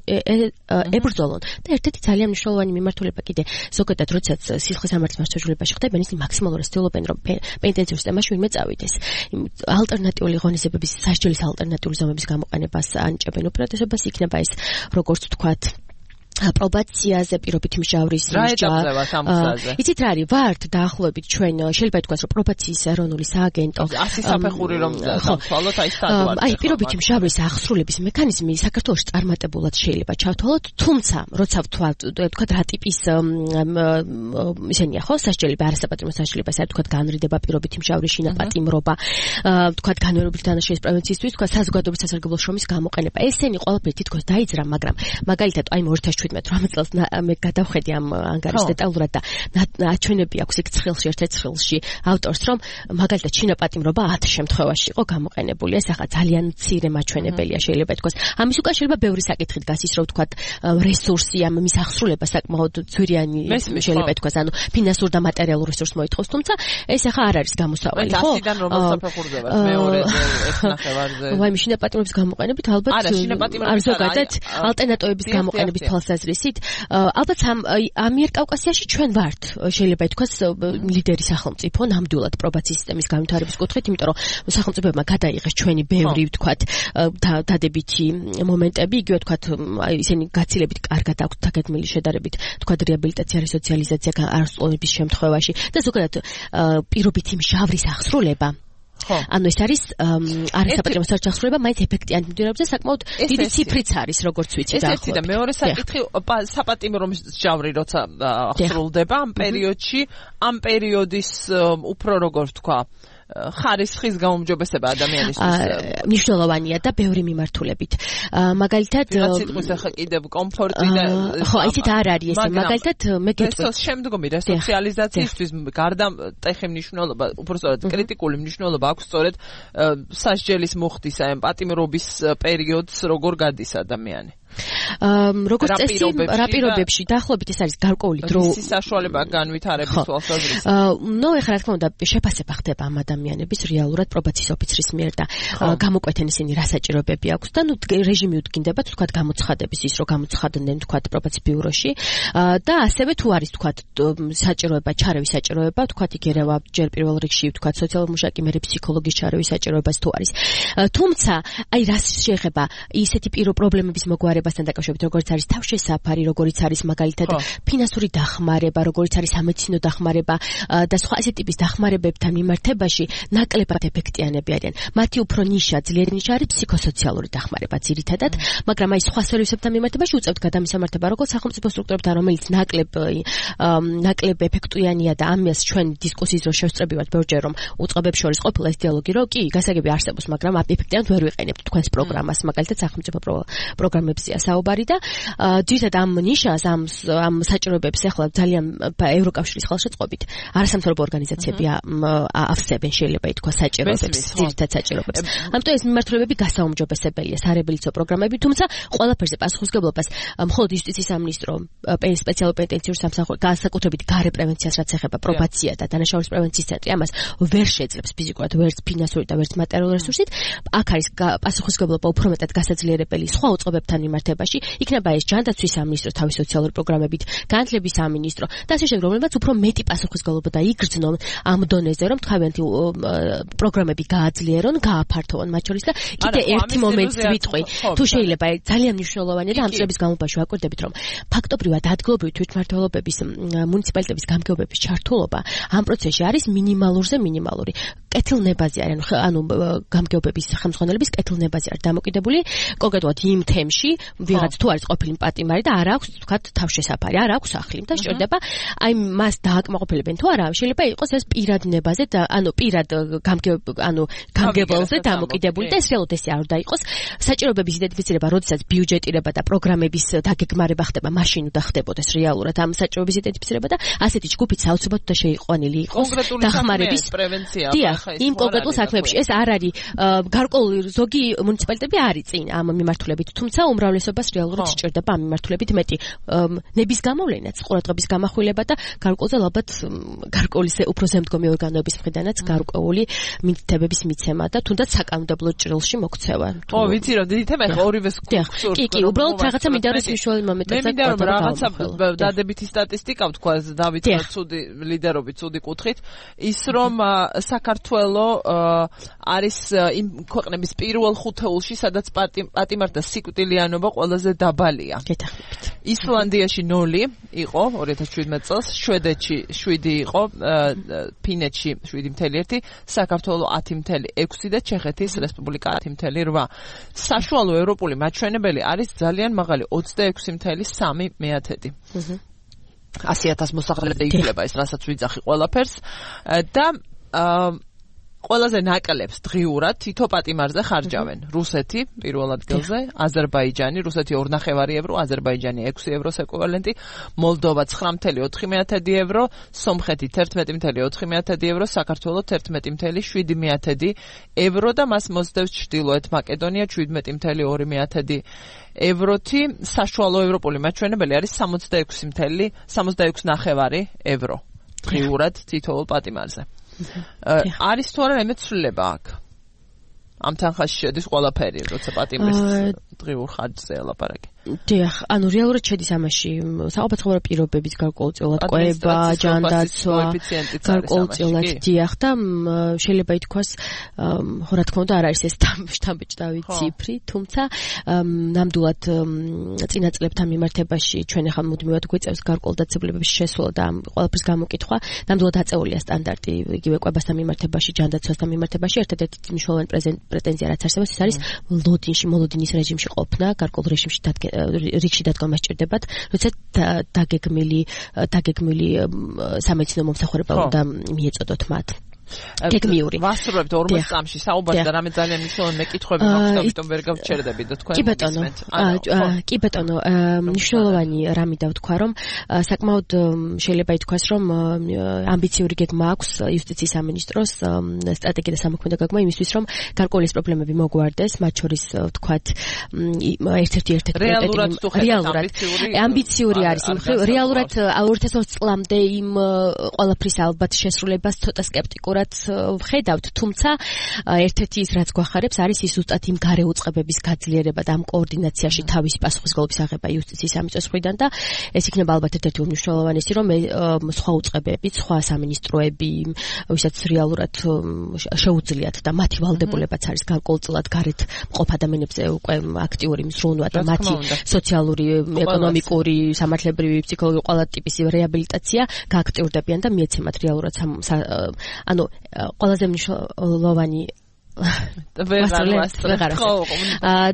ებრძოლონ და ერთ-ერთი ძალიან მნიშვნელოვანი მიმართულება კიდე ზოგადად, როდესაც სისხლის სამართლის მასშტაბებაში ხდებიან, ისინი მაქსიმალურად ცდილობენ, რომ პენიტენციურ სისტემაში ვინმე წავიდეს. ალტერნატიული ღონისძიებების, სასჯელის ალტერნატიული ზომების გამოყენებას ანიჭებენ უპირატესობას, იქნება ეს როგორც ვთქვათ პრობაციაზე, პირობით მჟავრის მჟავა. იცით რა არის, ვართ დაახლოებით ჩვენ შეიძლება ითქვას, რომ პრობაციის ეროვნული სააგენტო ასი საფეხური რომ დავთვალოთ, აი სტატუა. აი პირობით მჟავრის აღსრულების მექანიზმი საქართველოში წარმატებულად შეიძლება ჩავთვალოთ, თუმცა როცა ვთქვათ, თქვათ რა ტიპის ისენია ხო, სასჯელები, არასაპატიმრო სასჯელები, ასე თქვათ განრიდება, პირობით მჟავრის შინაპატიმრობა, თქვათ განმეორებითი დანაშაულის პრევენციისთვის, თქვათ საზოგადოების სასარგებლო შრომის გამოყენება. ესენი ყველაფერი თითქოს დაიძრა, მაგრამ მაგალითად აი ორი ათას შვიდმეტ წელს მე გადავხედი ამ ანგარის დეტალურად და აჩვენები აქვს იქ ცხილში, ერთ-ერთ ცხილში ავტორს, რომ მაგალითად შინაპატიმრობა ათ შემთხვევაში იყო გამოყენებული. ეს ახლა ძალიან მცირე მაჩვენებელია, შეიძლება ითქვას. ამის უკან შეიძლება ბევრი საკითხი დგას, ის რომ ვთქვათ რესურსი ამ მის ახსრულება საკმაოდ ძვირიანი შეიძლება ითქვას, ანუ ფინანსურ და მატერიალურ რესურსს მოითხოვს, თუმცა ეს ახლა არ არის გამოსავალი, ხო? ასიდან რომელ საფეხურზე ვართ, მეორეზე, ერთნახევარზე. ვაი, შინაპატიმრობის გამოყენებით ალბათ არ ზოგადად ალტერნატივების გამოყენების თვალსაზრისით, ალბათ ამიერკავკასიაში ჩვენ ვართ, შეიძლება ითქვას, ლიდერი სახელმწიფო ნამდვილად პრობაციის სისტემის განვითარების კუთხით, იმიტომ რომ სახელმწიფოებმა გადაიღეს ჩვენი ბევრი, ვთქვათ, დადებითი მომენტები, იგივე ვთქვათ, ისინი გაცილებით კარგად აქვთ დაგეგმილი შედარებით, ვთქვათ, რეაბილიტაცია, რესოციალიზაცია არასწორობის შემთხვევაში და ზოგადად პირობითი მჟავრის აღსრულება. ანუ ეს არის არასაპატიმრო სასჯელის აღსრულება, მაინც ეფექტიანი მიმდინარეობს და საკმაოდ დიდი ციფრიც არის, როგორც ვიცი და ახლა. და მეორე საკითხი, საპატიმრო მსჯავრი როცა აღსრულდება ამ პერიოდში, ამ პერიოდის უფრო როგორ ვთქვა, ხარისხის გაუმჯობესება ადამიანისთვის მნიშვნელოვანია და ბევრი მიმართულებით. მაგალითად სიტყვის ახლა კიდევ კომფორტი და ხო, ისეთ არ არის ესე. მაგალითად მე გეტყვი შემდგომი რესოციალიზაციისთვის გარდა ტეხი მნიშვნელობა, უბრალოდ კრიტიკული მნიშვნელობა აქვს სწორედ სასჯელის მუხტის აი პატიმრობის პერიოდს როგორ გადის ადამიანი. როგორც წესი რა პირობებში დაახლოებით ეს არის გარკვეული დრო საშუალება განვითარების თვალსაზრისით. ნუ ეხლა რა თქმა უნდა შეფასება ხდება ამ ადამიანების რეალურად პრობაციის ოფიცრის მიერ და გამოკვეთენ ისინი რა საჭიროებები აქვს და ნუ რეჟიმი უდგინდება თქვა გამოცხადების ის რომ გამოცხადდნენ თქვა პრობაციის ბიუროში და ასევე თუ არის თქვა საჭიროება ჩარევის საჭიროება თქვა იგერევა ჯერ პირველ რიგში თქვა სოციალური მუშაკი მერე ფსიქოლოგის ჩარევის საჭიროებას თუ არის. თუმცა აი რას შეეხება ისეთი პირო პრობლემების მოგვარება bastan დაკავშირებით როგორც არის თავშესაფარი, როგორც არის მაგალითად ფინანსური დახმარება, როგორც არის სამედიცინო დახმარება და სხვა ასეთი ტიპის დახმარებებთან მიმართებაში ნაკლებად ეფექტიანები არიან. მათი უფრო ნიშა, ძლიერი ნიშა არის ფსიქოსოციალური დახმარება ძირითადად, მაგრამ აი სხვა სერვისებთან მიმართებაში უწევთ გადამისამართება როგორც სახელმწიფო სტრუქტურებთან, რომელიც ნაკლებ ნაკლებ ეფექტიანია და ამას ჩვენ დისკუსიის დროს შევსწრებივართ ბევრჯერ რომ უწყებებს შორის ყოფილა ეს დიალოგი, რომ კი, გასაგები არსებობს, მაგრამ ეფექტიანად ვერ ვიყენებთ თქვენს პროგრამას, მაგალითად სახელმწიფო პროგრამებზე საუბარი და ძირითადად ამ ნიშას ამ ამ საჭიროებებს ახლა ძალიან ევროკავშირის ხელშეწყობით არასამთავრობო ორგანიზაციები ავსებენ შეიძლება ითქვა საჭიროებებს ძირითადად საჭიროებებს. ამიტომ ეს მიმართულებები გასაუმჯობესებელია სარებილიცო პროგრამები, თუმცა ყველაფერზე პასუხისმგებლობას მხოლოდ იუსტიციის სამინისტრო სპეციალურ პენიტენციურ სამსახურს განსაკუთრებით გარე პრევენციას რაც ეხება პრობაცია და დანაშაულის პრევენციის ცენტრი ამას ვერ შეძლებს ფიზიკურად ვერც ფინანსური და ვერც მატერიალური რესურსით. აქ არის პასუხისმგებლობა უფრო მეტად გასაძლიერებელი სხვა უწყებებთან მიმართებაში, იქნება ეს ჯანდაცვის სამინისტრო თავის სოციალური პროგრამებით, განათლების სამინისტრო და ასე შემდეგ, რომლებიც უფრო მეტი პასუხისმგებლობა და იგრძნონ ამ დონეზე, რომ თავიანთი პროგრამები გააძლიერონ, გააფართოვონ მათ შორის და კიდე ერთი მომენტს ვიტყვი, თუ შეიძლება ძალიან მნიშვნელოვანია და ამ წლების განმავლობაში ვაკვირდებით, რომ ფაქტობრივად ადგილობრივი თვითმმართველობების მუნიციპალიტეტების გამგეობების ჩართულობა ამ პროცესში არის მინიმალურზე მინიმალური. კეთილნებაზე არიან, ანუ გამგეობების ხელმძღვანელების კეთილნებაზე არის დამოკიდებული კონკრეტულად იმ თემში, ვიღაც თუ არის ყოფილი პატიმარი და არ აქვს თქვა თავშესაფარი, არ აქვს სახლი და შეიძლება აი მას დააკმაყოფილებენ თუ არა, შეიძლება იყოს ეს პირად ნებაზე და ანუ პირად გამგებ ანუ გამგებელზე დამოკიდებული და ეს რეალურად ესე არ უნდა იყოს. საჭიროებების იდენტიფიცირება, როდესაც ბიუჯეტირება და პროგრამების დაგეგმარება ხდება, მაშინ უნდა ხდებოდეს რეალურად ამ საჭიროების იდენტიფიცირება და ასეთი ჯგუფით საოცრად უნდა შეიყვანილი იყოს დახმარების პრევენცია. იმ კონკრეტულ საქმეებში ეს არ არის გარკვეული ზოგი მუნიციპალიტეტები არის წინ ამ მიმართულებით, თუმცა უმრავლესობას რეალურად სჭირდება ამ მიმართულებით მეტი ნების გამოვლენაც, ყურადღების გამახვილება და გარკვეულზე ალბათ გარკვეული უფრო ზემდგომი ორგანოების მხრიდანაც გარკვეული მითითებების მიცემა და თუნდაც საკანონმდებლო ჭრილში მოქცევა. ო, ვიცი რომ დიდი თემა ხო ორივეს გსურთ. კი, კი, უბრალოდ რაღაცა მინდა რომ მნიშვნელოვანი მომენტია. მე მინდა რომ რაღაცა დადებითი სტატისტიკა ვთქვა დავით ცუდი ლიდერობით, ცუდი კუთხით, ის რომ საქართველო არის იმ ქვეყნების პირველ ხუთეულში, სადაც პატიმართა სიკვდილიანობა ყველაზე დაბალია. გეთახმებით. ისლანდიაში ნული იყო ორი ათას შვიდმეტ წელს, შვედეთში შვიდი იყო, ფინეთში შვიდი ფاصლე ერთი, საქართველო ათი ფاصლე ექვსი და ჩეხეთის რესპუბლიკა ათი ფاصლე რვა. საშუალო ევროპული მაჩვენებელი არის ძალიან მაღალი ოცდაექვსი ფاصლე სამი მეათედი. ასი ათას მოსახლეზე ითვლება ეს, რასაც ვიძახი ყველაფერს და ყველაზე ნაკლებს დღიურად თითო პატიმარზე ხარჯავენ. რუსეთი პირველ ადგილზე, აზერბაიჯანი, რუსეთი ორ ნახევარი ევრო, აზერბაიჯანი ექვსი ევროს ეკვივალენტი, მოლდოვა ცხრა ფاصლე ოთხი მეათედი ევრო, სომხეთი ერთმეტი ფاصლე ოთხი მეათედი ევრო, საქართველო ერთმეტი ფاصლე შვიდი მეათედი ევრო და მას მოსდევს ჩრდილოეთ მაკედონია შვიდმეტი ფاصლე ორი მეათედი ევროთი. საშუალო ევროპული მაჩვენებელი არის სამოცდაექვსი ფاصლე სამოცდაექვსი ნახევარი ევრო დღიურად თითოეულ პატიმარზე. არის თუ არა რამე ცვლილება აქ? ამ თანხაში შედის ყველაფერი, როცა პატიმრის დღიურ ხარჯზე ელაპარაკი. დიახ, ანუ რეალურად შედის ამაში საყოფაცხოვრებო პირობების გარკვეულწილად ყვება, ჯანდაცვა, გარკვეულწილად დიახ და შეიძლება ითქვას, ხო რა თქმა უნდა არ არის ეს შთამბეჭდავი ციფრი, თუმცა ნამდვილად წინა წლებთან მიმართებაში ჩვენ ახლა მუდმივად გვეწევს გარკვეულ დაწესებულებების შესვლა და ყველაფრის გამოკითხვა, ნამდვილად აწეულია სტანდარტი იგივე ყვებასთან მიმართებაში, ჯანდაცვასთან მიმართებაში. ერთადერთი მნიშვნელოვანი პრეტენზია რაც არსებობს, ეს არის ლოდინში, მოლოდინის რეჟიმში ყოფნა, გარკვეულ რეჟიმში დადგება რიგში დადგომა სჭირდებათ, როდესაც დაგეგმილი დაგეგმილი სამედიცინო მომსახურება უნდა მიეწოდოთ მათ. გეგმიური. ვასრულებთ ორმოც წამში საუბარს და რამე ძალიან მნიშვნელოვანი მეკითხვები მაქვს, ამიტომ ვერ გავჩერდები და თქვენ მოგისმენთ. კი ბატონო, მნიშვნელოვანი რამე დავთქვა, რომ საკმაოდ შეიძლება ითქვას, რომ ამბიციური გეგმა აქვს იუსტიციის სამინისტროს სტრატეგია და სამოქმედო გეგმა იმისთვის, რომ გარკვეული პრობლემები მოგვარდეს, მათ შორის ვთქვათ, ერთ-ერთი ერთ-ერთი რეალურად ამბიციური არის იმ ხრივ, რეალურად ორი ათას ოცი წლამდე იმ ყველაფრის ალბათ შესრულებას ცოტა სკეპტიკურად ვხედავთ, თუმცა ერთ-ერთი ის რაც გვახარებს არის ის ზუსტად იმ გარე უწყებების გაძლიერება და ამ координацияში თავისი პასუხისმგებლობის აღება იუსტიციის სამინისტროს მხრიდან და ეს იქნება ალბათ ერთ-ერთი უმნიშვნელოვანესი, რომ სხვა უწყებები, სხვა სამინისტროები, ვისაც რეალურად შეუძლიათ და მათი ვალდებულებაც არის გარკვეულწილად გარეთ მყოფ ადამიანებზე უკვე აქტიური მზრუნვა და მათი სოციალური, ეკონომიკური, სამართლებრივი, ფსიქოლოგიური ყველა ტიპის რეაბილიტაცია გააქტიურდებიან და მიეცემათ რეალურად ანუ ყველაზე მნიშვნელოვანი ვეღარ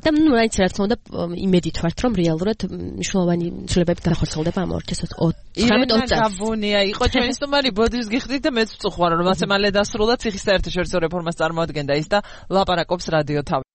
და ნუ რაიც რა თქმა უნდა იმედით ვართ რომ რეალურად მნიშვნელოვანი ცვლილებები განხორციელდება ამ ორი ათას ოცდაოთხ წელს. გაბუნია იყო ჩვენი სტუმარი ბოდიშს გიხდით და მეც ვწუხარ რომ ასე მალე დასრულდა ციხის საერთაშორისო რეფორმას წარმოადგენდა ის და ლაპარაკობს რადიო თავი